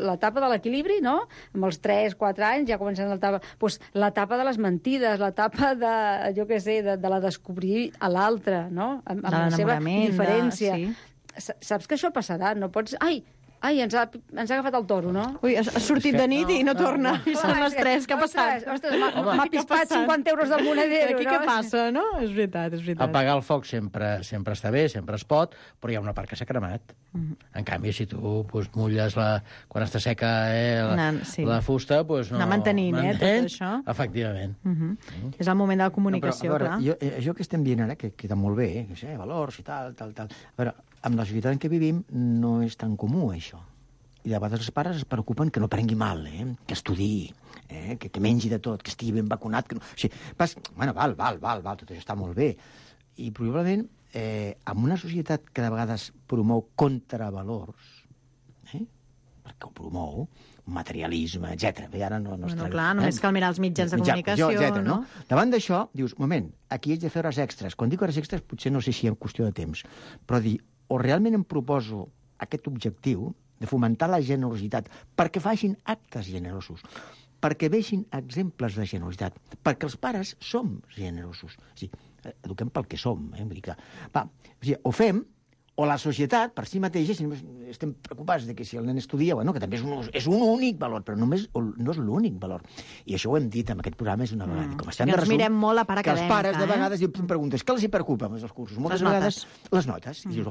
l'etapa de l'equilibri, no? Amb els 3-4 anys ja comencen l'etapa... Doncs l'etapa de les mentides, l'etapa de, jo què sé, de la descobrir a l'altre, no? Amb la seva diferència. Sí. Saps que això passarà, no pots... Ai, ens ha agafat el toro, no? Ui, has sortit de nit i no torna. I són les 3, què ha passat? Ostres, m'ha pispat 50 euros del monedero, no? Aquí què passa, no? És veritat. Apagar el foc sempre està bé, sempre es pot, però hi ha una part que s'ha cremat. En canvi, si tu mulles quan està seca la fusta, doncs no... Anar mantenint, tot això. Efectivament. És el moment de la comunicació, clar. Això que estem dient ara, que queda molt bé, valors i tal... A veure, amb la societat en què vivim no és tan comú, això. I de vegades els pares es preocupen que no prengui mal, que estudiï, que mengi de tot, que estigui ben vacunat... Que no... O sigui, val, tot això està molt bé. I probablement, en una societat que de vegades promou contravalors, perquè ho promou, materialisme, etc. Ara no clar, només cal mirar els mitjans de comunicació, no? Davant d'això, dius, moment, aquí haig de fer hores extres. Quan dic hores extres, potser no sé si hi ha qüestió de temps, però dir, o realment em proposo aquest objectiu de fomentar la generositat perquè facin actes generosos, perquè vegin exemples de generositat, perquè els pares som generosos. O sigui, eduquem pel que som. Vull dir que, o fem, o la societat, per si mateixa, si estem preocupats de que si el nen estudia, que també és un únic valor, però no és l'únic valor. I això ho hem dit en aquest programa, és una vegada. Com estem de resum, mirem molt la part acadèmica. Que els pares de vegades em preguntes, què els hi preocupa amb els cursos? Moltes vegades les notes. I dius,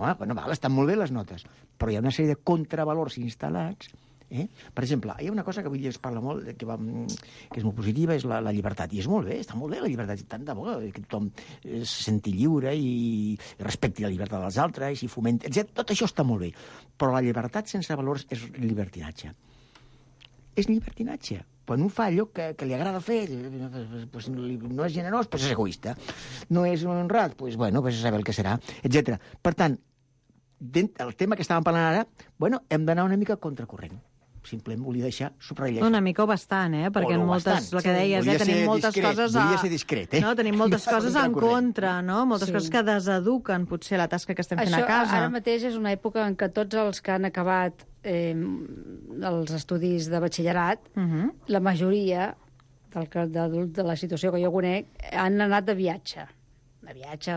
estan molt bé les notes, però hi ha una sèrie de contravalors instal·lats. Per exemple, hi ha una cosa que avui es parla molt, que és molt positiva, és la llibertat. I és molt bé, està molt bé la llibertat. Tant de bo que tothom se senti lliure i respecti la llibertat dels altres i fomenti, etc. Tot això està molt bé. Però la llibertat sense valors és llibertinatge. És llibertinatge. Quan un fa allò que li agrada fer, no és generós, és egoista. No és honrat, és saber el que serà, etc. Per tant, el tema que estàvem parlant ara, hem d'anar una mica contracorrent. Simplement volia deixar subratllar. Una mica o bastant, perquè en moltes, el que deies, tenim moltes coses... Volia ser discret, No, tenim moltes coses en contra, no? Moltes coses que deseduquen, potser, la tasca que estem fent a casa. Això ara mateix és una època en què tots els que han acabat els estudis de batxillerat, la majoria de la situació que jo conec, han anat de viatge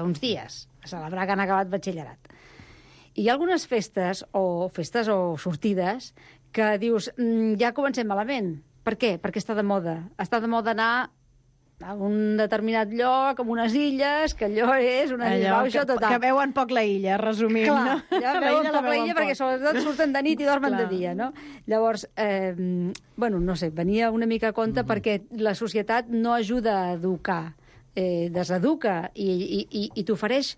uns dies, a celebrar que han acabat batxillerat. I hi ha algunes festes o sortides que dius, ja comencem malament. Per què? Perquè està de moda. Està de moda anar a un determinat lloc, amb unes illes, que allò és una bauxa total. Que veuen poc la illa, resumint. Clar, ja veuen poc la illa perquè sobretot surten de nit i dormen de dia, no? Llavors, no sé, venia una mica a compte perquè la societat no ajuda a educar deseduca i t'ofereix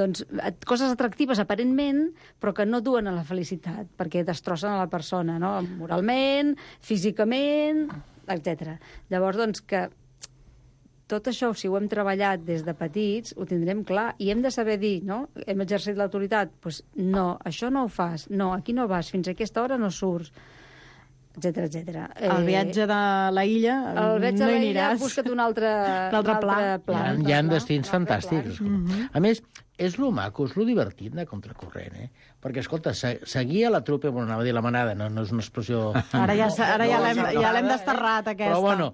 doncs, coses atractives aparentment, però que no duen a la felicitat, perquè destrossen a la persona, no? Moralment, físicament, etc. Llavors, doncs, que tot això, si ho hem treballat des de petits, ho tindrem clar, i hem de saber dir, no? Hem exercit l'autoritat, doncs no, això no ho fas, no, aquí no vas, fins a aquesta hora no surts, etcètera, etcètera. El viatge de la illa el viatge no de hi la illa, aniràs. busca't un altre pla. Hi ha destins fantàstics. A més, és lo maco, és lo divertit de contracorrent, Perquè, escolta, seguir a la trupe, bueno, anava a dir la manada, no és una expressió... Ara ja l'hem desterrat, aquesta. Però, bueno,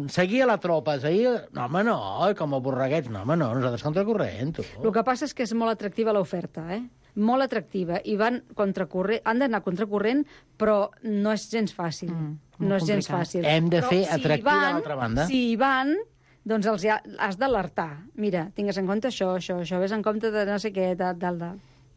seguir a la tropa, no, home, no, com a borreguets, no, home, no, nosaltres contracorrent, tu. El que passa és que és molt atractiva l'oferta, molt atractiva, i han d'anar contracorrent, però no és gens fàcil. No és gens fàcil. Hem de fer atractiva a l'altra banda. Si hi van, doncs has d'alertar. Mira, tingues en compte això, ves en compte de no sé què,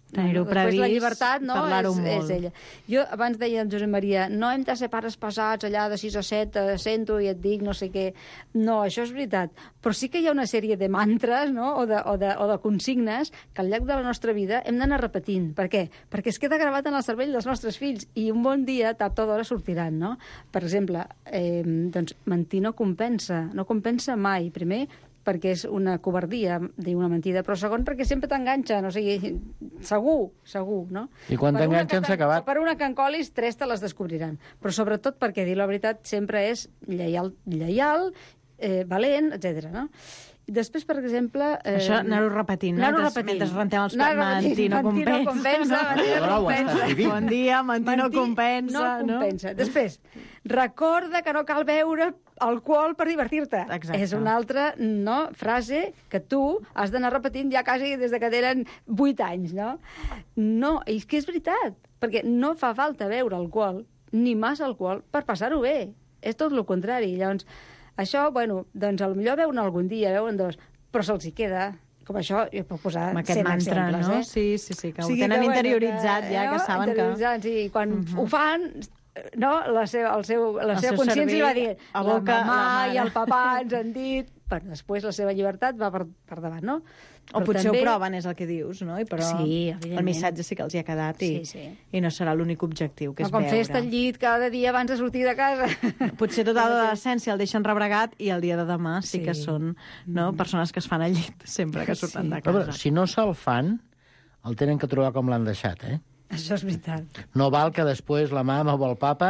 tenir-ho previst, la llibertat, no, parlar-ho molt. És ella. Jo abans deia en Josep Maria, no hem de ser pares pesats allà de 6 a 7, sento i et dic no sé què. No, això és veritat. Però sí que hi ha una sèrie de mantres, no? o de consignes que al llarg de la nostra vida hem d'anar repetint. Per què? Perquè es queda gravat en el cervell dels nostres fills i un bon dia, tard o d'hora, sortiran, no? Per exemple, doncs, mentir no compensa mai. Primer, perquè és una covardia dir una mentida, però segon, perquè sempre t'enganxen, o sigui, segur, no? I quan t'enganxen s'ha acabat. Per una que en colis, 3 te les descobriran. Però sobretot perquè dir la veritat sempre és lleial, valent, etc. no? I després, per exemple... Això anar-ho repetint, no? Mentre rentem els plats, mentir no compensa. Bon dia, mentir no compensa. No compensa. Després, recorda que no cal beure alcohol per divertir-te. Exacte. És una altra frase que tu has d'anar repetint ja quasi des que tenen 8 anys, no? No, és que és veritat, perquè no fa falta beure alcohol, ni massa alcohol, per passar-ho bé. És tot el contrari. Llavors, això, bueno, doncs potser veuen algun dia, veuen 2, però se'ls hi queda. Com això, jo puc posar 100 mantra, exemples, no? Sí, que ho tenen interioritzat ja, que saben que... Sí, quan ho fan, no, la seva consciència va dir a la boca, mamà i el papà ens han dit, però després la seva llibertat va per davant, no? O potser també... ho proven, és el que dius, no? Però sí, el missatge sí que els hi ha quedat i no serà l'únic objectiu, que és com veure. fes-te al llit cada dia abans de sortir de casa. Potser tota l'adolescència el deixen rebregat i el dia de demà sí que són persones que es fan al llit sempre que surten de casa. Però si no se'l fan, el tenen que trobar com l'han deixat, Això és veritat. No val que després la mama o el papa,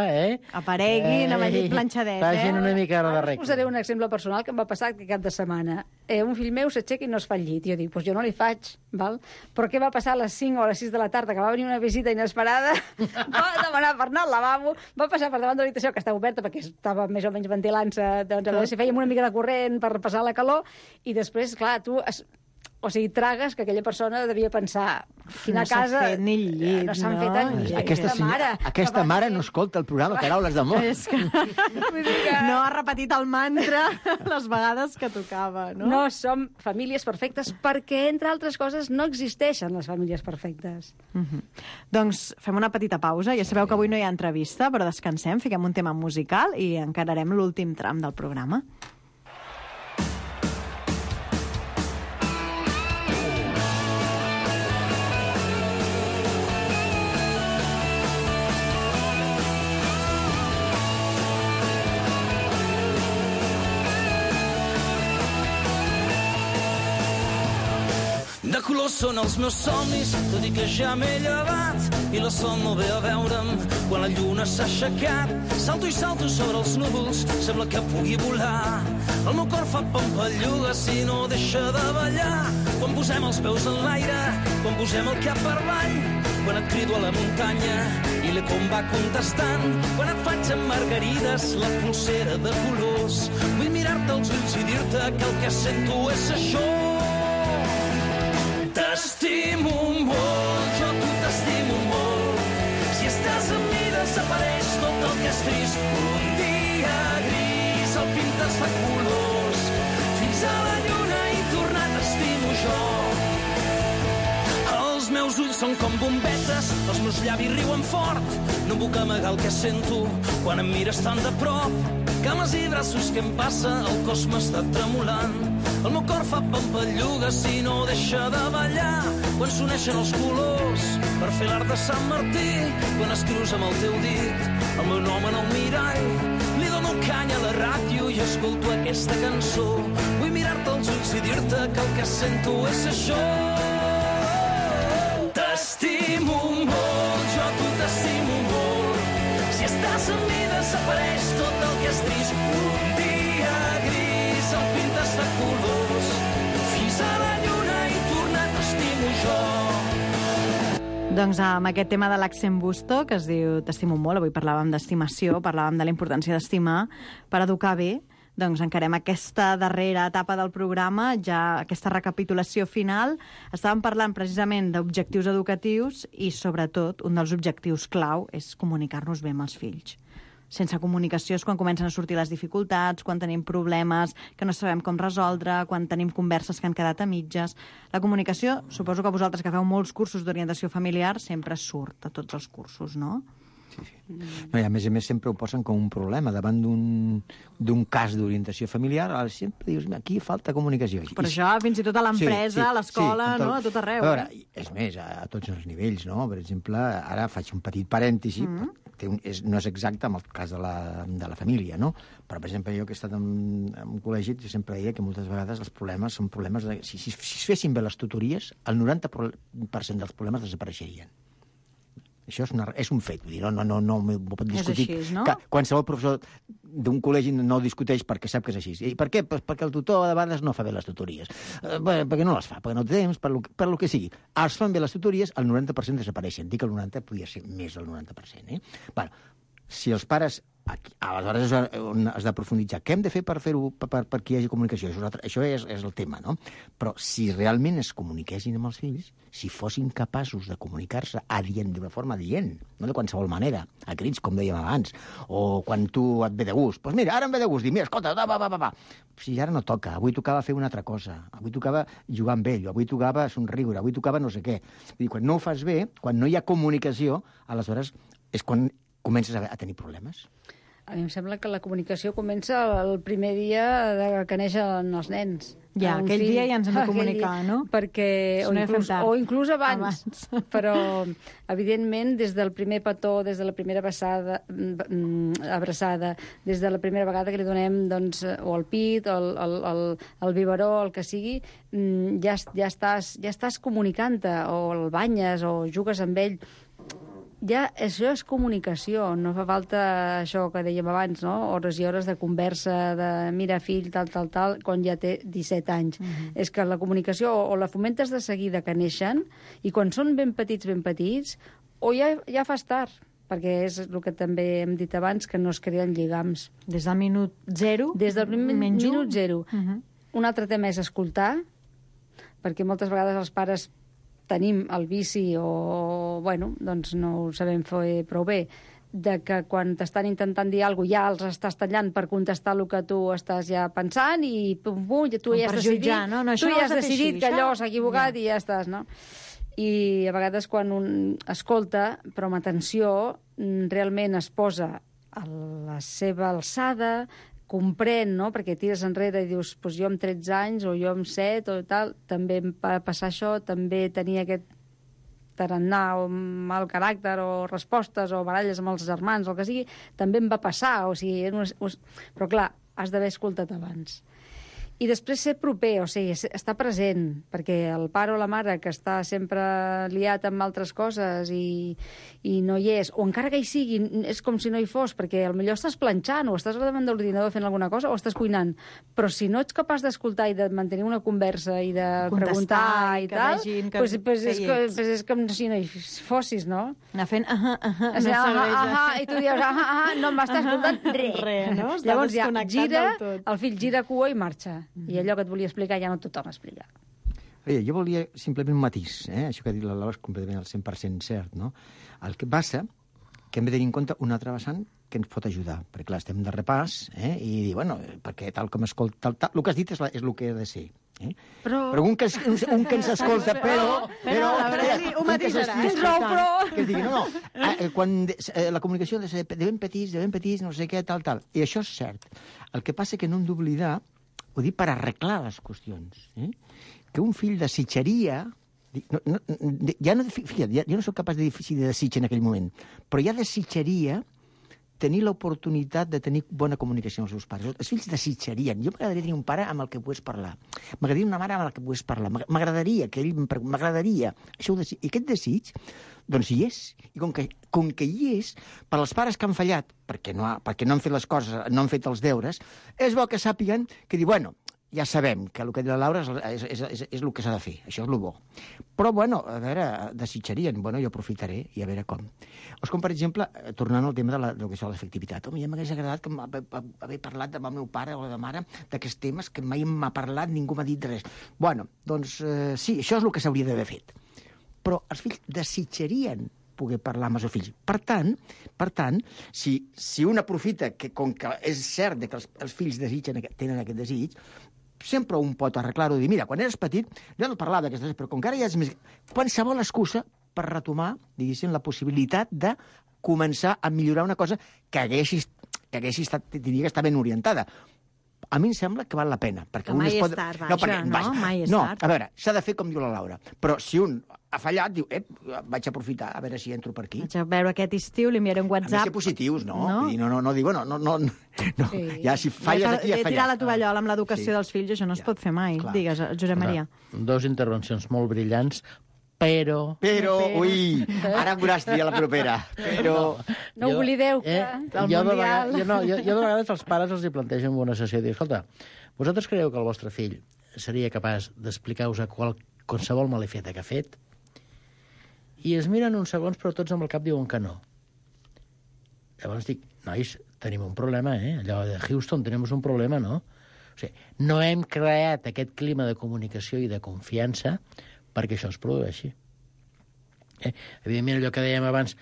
apareguin amb el llit planxadet, facin una mica de regla. Us posaré un exemple personal que em va passar aquest cap de setmana. Un fill meu s'aixeca i no es fa el llit. Jo dic, doncs jo no li faig, val? Però què va passar a les 5 o a les 6 de la tarda, que va venir una visita inesperada, va demanar per anar al lavabo, va passar per davant de l'habitació, que estava oberta perquè estava més o menys ventilant-se, doncs a veure si fèiem una mica de corrent per passar la calor, i després, clar, tu... O sigui, tragues que aquella persona devia pensar quina casa... No s'ha fet ni el llit, no s'han fet el llit. Aquesta mare no escolta el programa Paraules d'amor. És que no ha repetit el mantra les vegades que tocava, no? No som famílies perfectes perquè, entre altres coses, no existeixen les famílies perfectes. Doncs fem una petita pausa. Ja sabeu que avui no hi ha entrevista, però descansem, fiquem un tema musical i encararem l'últim tram del programa. De colors són els meus somnis, tot i que ja m'he llevat i la sol no ve a veure'm quan la lluna s'ha aixecat. Salto i salto sobre els núvols, sembla que pugui volar. El meu cor fa pampallugues i no deixa de ballar. Quan posem els peus en l'aire, quan posem el cap per avall, quan et crido a la muntanya i l'eco em va contestant, quan et faig amb margarides la polsera de colors. Vull mirar-te als ulls i dir-te que el que sento és això. T'estimo molt, jo tu t'estimo molt. Si estàs amb mi desapareix tot el que és trist. Un dia gris el pintes de colors. Fins a la lluna i tornar t'estimo jo. Els meus teus ulls són com bombetes, els meus llavis riuen fort. No puc amagar el que sento quan em mires tan de prop. Cames i braços, què em passa? El cos m'està tremolant. El meu cor fa pampallugues i no deixa de ballar. Quan s'uneixen els colors per fer l'art de Sant Martí, quan escrius amb el teu dit el meu nom en el mirall, li dono canya a la ràdio i escolto aquesta cançó. Vull mirar-te als ulls i dir-te que el que sento és això. T'estimo molt, jo tu t'estimo molt. Si estàs amb mi desapareix tot el que és trist. Un dia gris el pintes de colors. Fins a la lluna i tornar t'estimo jo. Doncs amb aquest tema de l'Accent Busto, que es diu T'estimo molt, avui parlàvem d'estimació, parlàvem de la importància d'estimar per educar bé, doncs encarem aquesta darrera etapa del programa, ja aquesta recapitulació final. Estàvem parlant precisament d'objectius educatius i, sobretot, un dels objectius clau és comunicar-nos bé amb els fills. Sense comunicació és quan comencen a sortir les dificultats, quan tenim problemes que no sabem com resoldre, quan tenim converses que han quedat a mitges. La comunicació, suposo que vosaltres que feu molts cursos d'orientació familiar, sempre surt a tots els cursos, no? Sí. No, i a més sempre ho posen com un problema. Davant d'un cas d'orientació familiar, sempre dius, aquí falta comunicació. Però això fins i tot a l'empresa, a l'escola, no? A tot arreu. A veure, és més, a tots els nivells, no? Per exemple, ara faig un petit parèntesi, no és exacte amb el cas de la família, no? Però, per exemple, jo que he estat en un col·legi, sempre deia que moltes vegades els problemes són problemes de... Si es fessin bé les tutories, el 90% dels problemes desapareixerien. Això és un fet, vull dir, no m'ho pot discutir. És així, no? Qualsevol professor d'un col·legi no discuteix perquè sap que és així. I per què? Pues perquè el tutor de vegades no fa bé les tutories. Perquè no les fa, perquè no té temps, per lo que sigui. Els fan bé les tutories, el 90% desapareixen. Dic que el 90% podria ser més del 90%. Bueno, si els pares... Aleshores és on has de profunditzar. Què hem de fer per fer-ho, perquè hi hagi comunicació? Això és el tema, no? Però si realment es comuniquessin amb els fills, si fossin capaços de comunicar-se d'una forma adient, no de qualsevol manera, a crits, com dèiem abans, o quan tu et ve de gust, doncs mira, ara em ve de gust, dir, mira, escolta, va. Si ara no toca, avui tocava fer una altra cosa, avui tocava jugar amb ell, avui tocava somriure, avui tocava no sé què. Vull dir, quan no ho fas bé, quan no hi ha comunicació, aleshores és quan comences a tenir problemes. A mi em sembla que la comunicació comença el primer dia que neixen els nens. Ja, aquell dia ja ens hem de comunicar, no? Perquè, o inclús abans. Però, evidentment, des del primer petó, des de la primera abraçada, des de la primera vegada que li donem, doncs, o el pit, o el biberó, el que sigui, ja estàs comunicant-te, o el banyes, o jugues amb ell. Ja, això és comunicació, no fa falta això que dèiem abans, no? Hores i hores de conversa, de mira fill, tal, quan ja té 17 anys. És que la comunicació o la fomentes de seguida que neixen, i quan són ben petits, o ja fas tard, perquè és el que també hem dit abans, que no es creen lligams. Des del minut zero? Des del minut zero. Un altre tema és escoltar, perquè moltes vegades els pares tenim el vici o, bueno, doncs no ho sabem fer prou bé, de que quan t'estan intentant dir alguna cosa ja els estàs tallant per contestar el que tu estàs ja pensant i tu ja has decidit, que allò s'ha equivocat i ja estàs, no? I a vegades quan un escolta, però amb atenció, realment es posa a la seva alçada, comprèn, no? Perquè tires enrere i dius, doncs jo amb 13 anys o jo amb 7 o tal, també em va passar això, també tenia aquest tarannà o mal caràcter o respostes o baralles amb els germans o el que sigui, també em va passar, o sigui, però clar, has d'haver escoltat abans. I després ser proper, o sigui, estar present, perquè el pare o la mare que està sempre liat amb altres coses i no hi és, o encara que hi sigui, és com si no hi fos, perquè potser estàs planxant o estàs davant de l'ordinador fent alguna cosa o estàs cuinant, però si no ets capaç d'escoltar i de mantenir una conversa i de preguntar i tal, doncs és com si no hi fossis, no? Anar fent i tu dius, no m'estàs escoltant res, no? Llavors ja gira, el fill gira cua i marxa. I allò que et volia explicar ja no t'ho torna a explicar. Jo volia simplement un matís, això que ha dit la Laura és completament al 100% cert, no? El que passa que hem de tenir en compte un altre vessant que ens pot ajudar, perquè clar, estem de repàs, i dir, bueno, perquè tal com escolta, el que has dit és el que ha de ser. Però un que ens escolta, però ho matisarà. que es digui, quan la comunicació ha de ser de ben petits, no sé què, tal. I això és cert. El que passa que no hem d'oblidar, ho dic per arreglar les qüestions, que un fill desitjaria... Ja no soc capaç de dir si desitja en aquell moment, però ja desitjaria tenir l'oportunitat de tenir bona comunicació amb els seus pares. Els fills desitjarien. Jo m'agradaria tenir un pare amb el que pogués parlar. M'agradaria una mare amb la que pogués parlar. M'agradaria que ell m'agradaria. I aquest desig, doncs hi és. I com que hi és, per als pares que han fallat, perquè no han fet les coses, no han fet els deures, és bo que sàpiguen que dir, bueno, ja sabem que el que diu la Laura és el que s'ha de fer, això és el bo. Però, bueno, a veure, desitjarien, bueno, jo aprofitaré i a veure com. O com, per exemple, tornant al tema de l'efectivitat. Home, ja m'hagués agradat haver parlat amb el meu pare o la mare d'aquests temes que mai m'ha parlat, ningú m'ha dit res. Bueno, doncs sí, això és el que s'hauria d'haver fet. Però els fills desitjarien poder parlar amb els seus fills. Per tant, si un aprofita que, com que és cert que els fills tenen aquest desig, sempre un pot arreglar-ho i dir, mira, quan eres petit, jo no parlava d'aquestes coses, però com que ara ja és més... Qualsevol excusa per retomar, diguéssim, la possibilitat de començar a millorar una cosa que hagués estat, diria que està ben orientada. A mi em sembla que val la pena. Perquè mai és tard, mai és tard. A veure, s'ha de fer com diu la Laura. Però si un ha fallat, diu, vaig aprofitar, a veure si entro per aquí. Vaig a veure aquest estiu, li enviaré un WhatsApp. Han de ser positius, no? No dic, no. Sí. Ja, si falles aquí, ja fallat. Tirar la tovallola amb l'educació dels fills, això no es pot fer mai. Clar. Digues, Josep Maria. Dos intervencions molt brillants, però, ui, ara em veuràs dir a la propera. Però... No oblideu que el Mundial... Jo de vegades als pares els hi plantejo en una sessió i dic, escolta, vosaltres creieu que el vostre fill seria capaç d'explicar-vos qualsevol malifeta que ha fet? I es miren uns segons, però tots amb el cap diuen que no. Llavors dic, nois, tenim un problema, allò de Houston, tenim un problema, no? O sigui, no hem creat aquest clima de comunicació i de confiança perquè això es produeixi. Evidentment, allò que dèiem abans,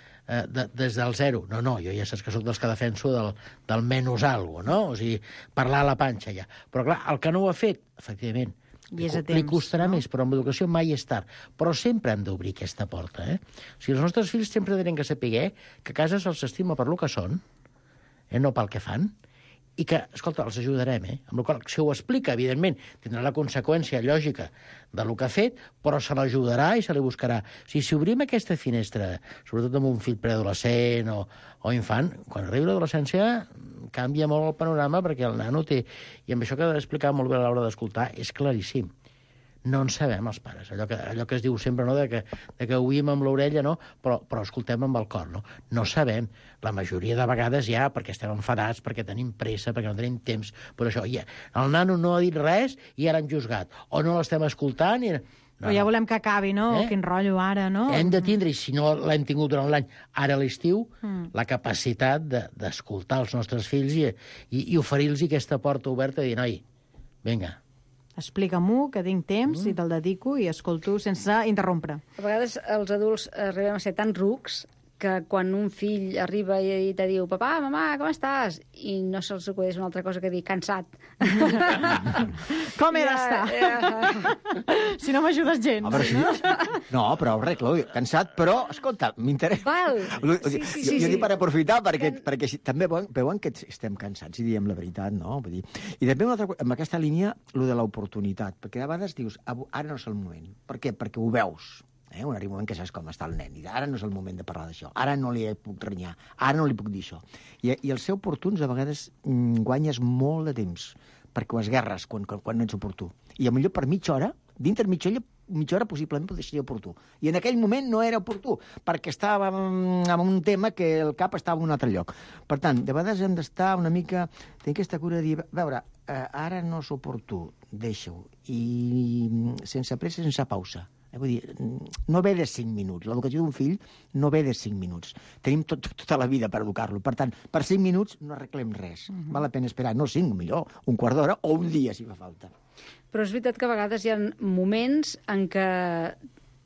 des del zero. No, jo ja saps que sóc dels que defenso del menys algo, no? O sigui, parlar a la panxa ja. Però, clar, el que no ho ha fet, efectivament, li costarà més, però amb l'educació mai és tard. Però sempre hem d'obrir aquesta porta, O sigui, els nostres fills sempre tenen que saber que a casa se'ls estima per lo que són, no pel que fan, i que, escolta, els ajudarem, Amb la qual cosa, si ho explica, evidentment, tindrà la conseqüència lògica de lo que ha fet, però se l'ajudarà i se li buscarà. O sigui, si obrim aquesta finestra, sobretot amb un fill preadolescent o infant, quan arriba l'adolescència canvia molt el panorama perquè el nano té... I amb això que ha d'explicar molt bé a l'hora d'escoltar és claríssim. No en sabem, els pares. Allò que es diu sempre, no?, de que oïm amb l'orella, no?, però escoltem amb el cor, no? No sabem. La majoria de vegades ja, perquè estem enfadats, perquè tenim pressa, perquè no tenim temps, però això, ja, el nano no ha dit res i ara han juzgat. O no l'estem escoltant i... Però ja volem que acabi, no? Quin rotllo ara, no? Hem de tindre, i si no l'hem tingut durant l'any, ara a l'estiu, la capacitat d'escoltar els nostres fills i oferir-los aquesta porta oberta i dir, noi, vinga, explica-m'ho, que tinc temps i te'l dedico i escolto sense interrompre. A vegades els adults arribem a ser tan rucs que quan un fill arriba i te diu «Papà, mamà, com estàs?» i no se'ls acudeix una altra cosa que dir «cansat». Com he d'estar? Si no m'ajudes gens. No, però arreglo, cansat, però, escolta, m'interessa. Jo dic per aprofitar, perquè també veuen que estem cansats i diem la veritat, no? Vull dir, i també amb aquesta línia, lo de l'oportunitat, perquè a vegades dius, ara no és el moment. Per què? Perquè ho veus. Un arriba un moment que saps com està el nen, i ara no és el moment de parlar d'això, ara no li puc renyar, ara no li puc dir això. I el ser oportuns a vegades guanyes molt de temps, perquè ho esguerres quan no ets oportú. I potser per mitja hora, dintre mitja hora possiblement pot ser oportú. I en aquell moment no era oportú, perquè estava en un tema que el cap estava en un altre lloc. Per tant, de vegades hem d'estar una mica... Tenir aquesta cura de dir, a veure, ara no és oportú, deixa-ho. I sense pressa, sense pausa. Vull dir, no ve de 5 minuts. L'educació d'un fill no ve de 5 minuts. Tenim tota la vida per educar-lo. Per tant, per 5 minuts no arreglem res. Val la pena esperar, no 5, millor, un quart d'hora o un dia, si fa falta. Però és veritat que a vegades hi ha moments en què,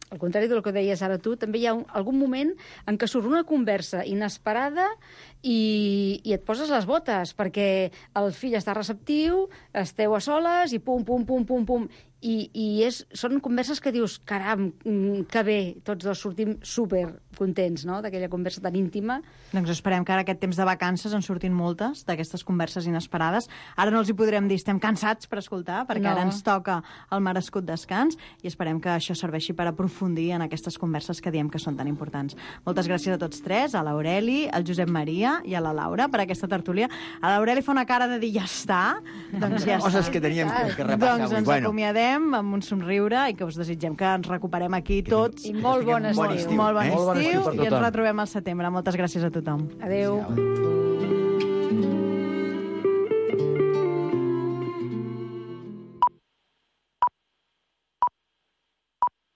al contrari del que deies ara tu, també hi ha algun moment en què surt una conversa inesperada i et poses les botes, perquè el fill està receptiu, esteu a soles i pum, pum, pum, pum, pum, són converses que dius, caram, que bé, tots dos sortim super contents, no?, d'aquella conversa tan íntima. Doncs esperem que ara aquest temps de vacances en surtin moltes d'aquestes converses inesperades. Ara no els hi podrem dir, estem cansats per escoltar, perquè ara ens toca el merescut descans, i esperem que això serveixi per aprofundir en aquestes converses que diem que són tan importants. Moltes gràcies a tots tres, a l'Aureli, al Josep Maria i a la Laura per aquesta tertúlia. A l'Aureli fa una cara de dir ja està, doncs ja està. Coses que teníem que repassar. Doncs ens acomiadem amb un somriure i que us desitgem que ens recuperem aquí tots. I molt bon estiu. Molt bon estiu, per i ens tothom. retrobem al setembre. Moltes gràcies a tothom. Adéu.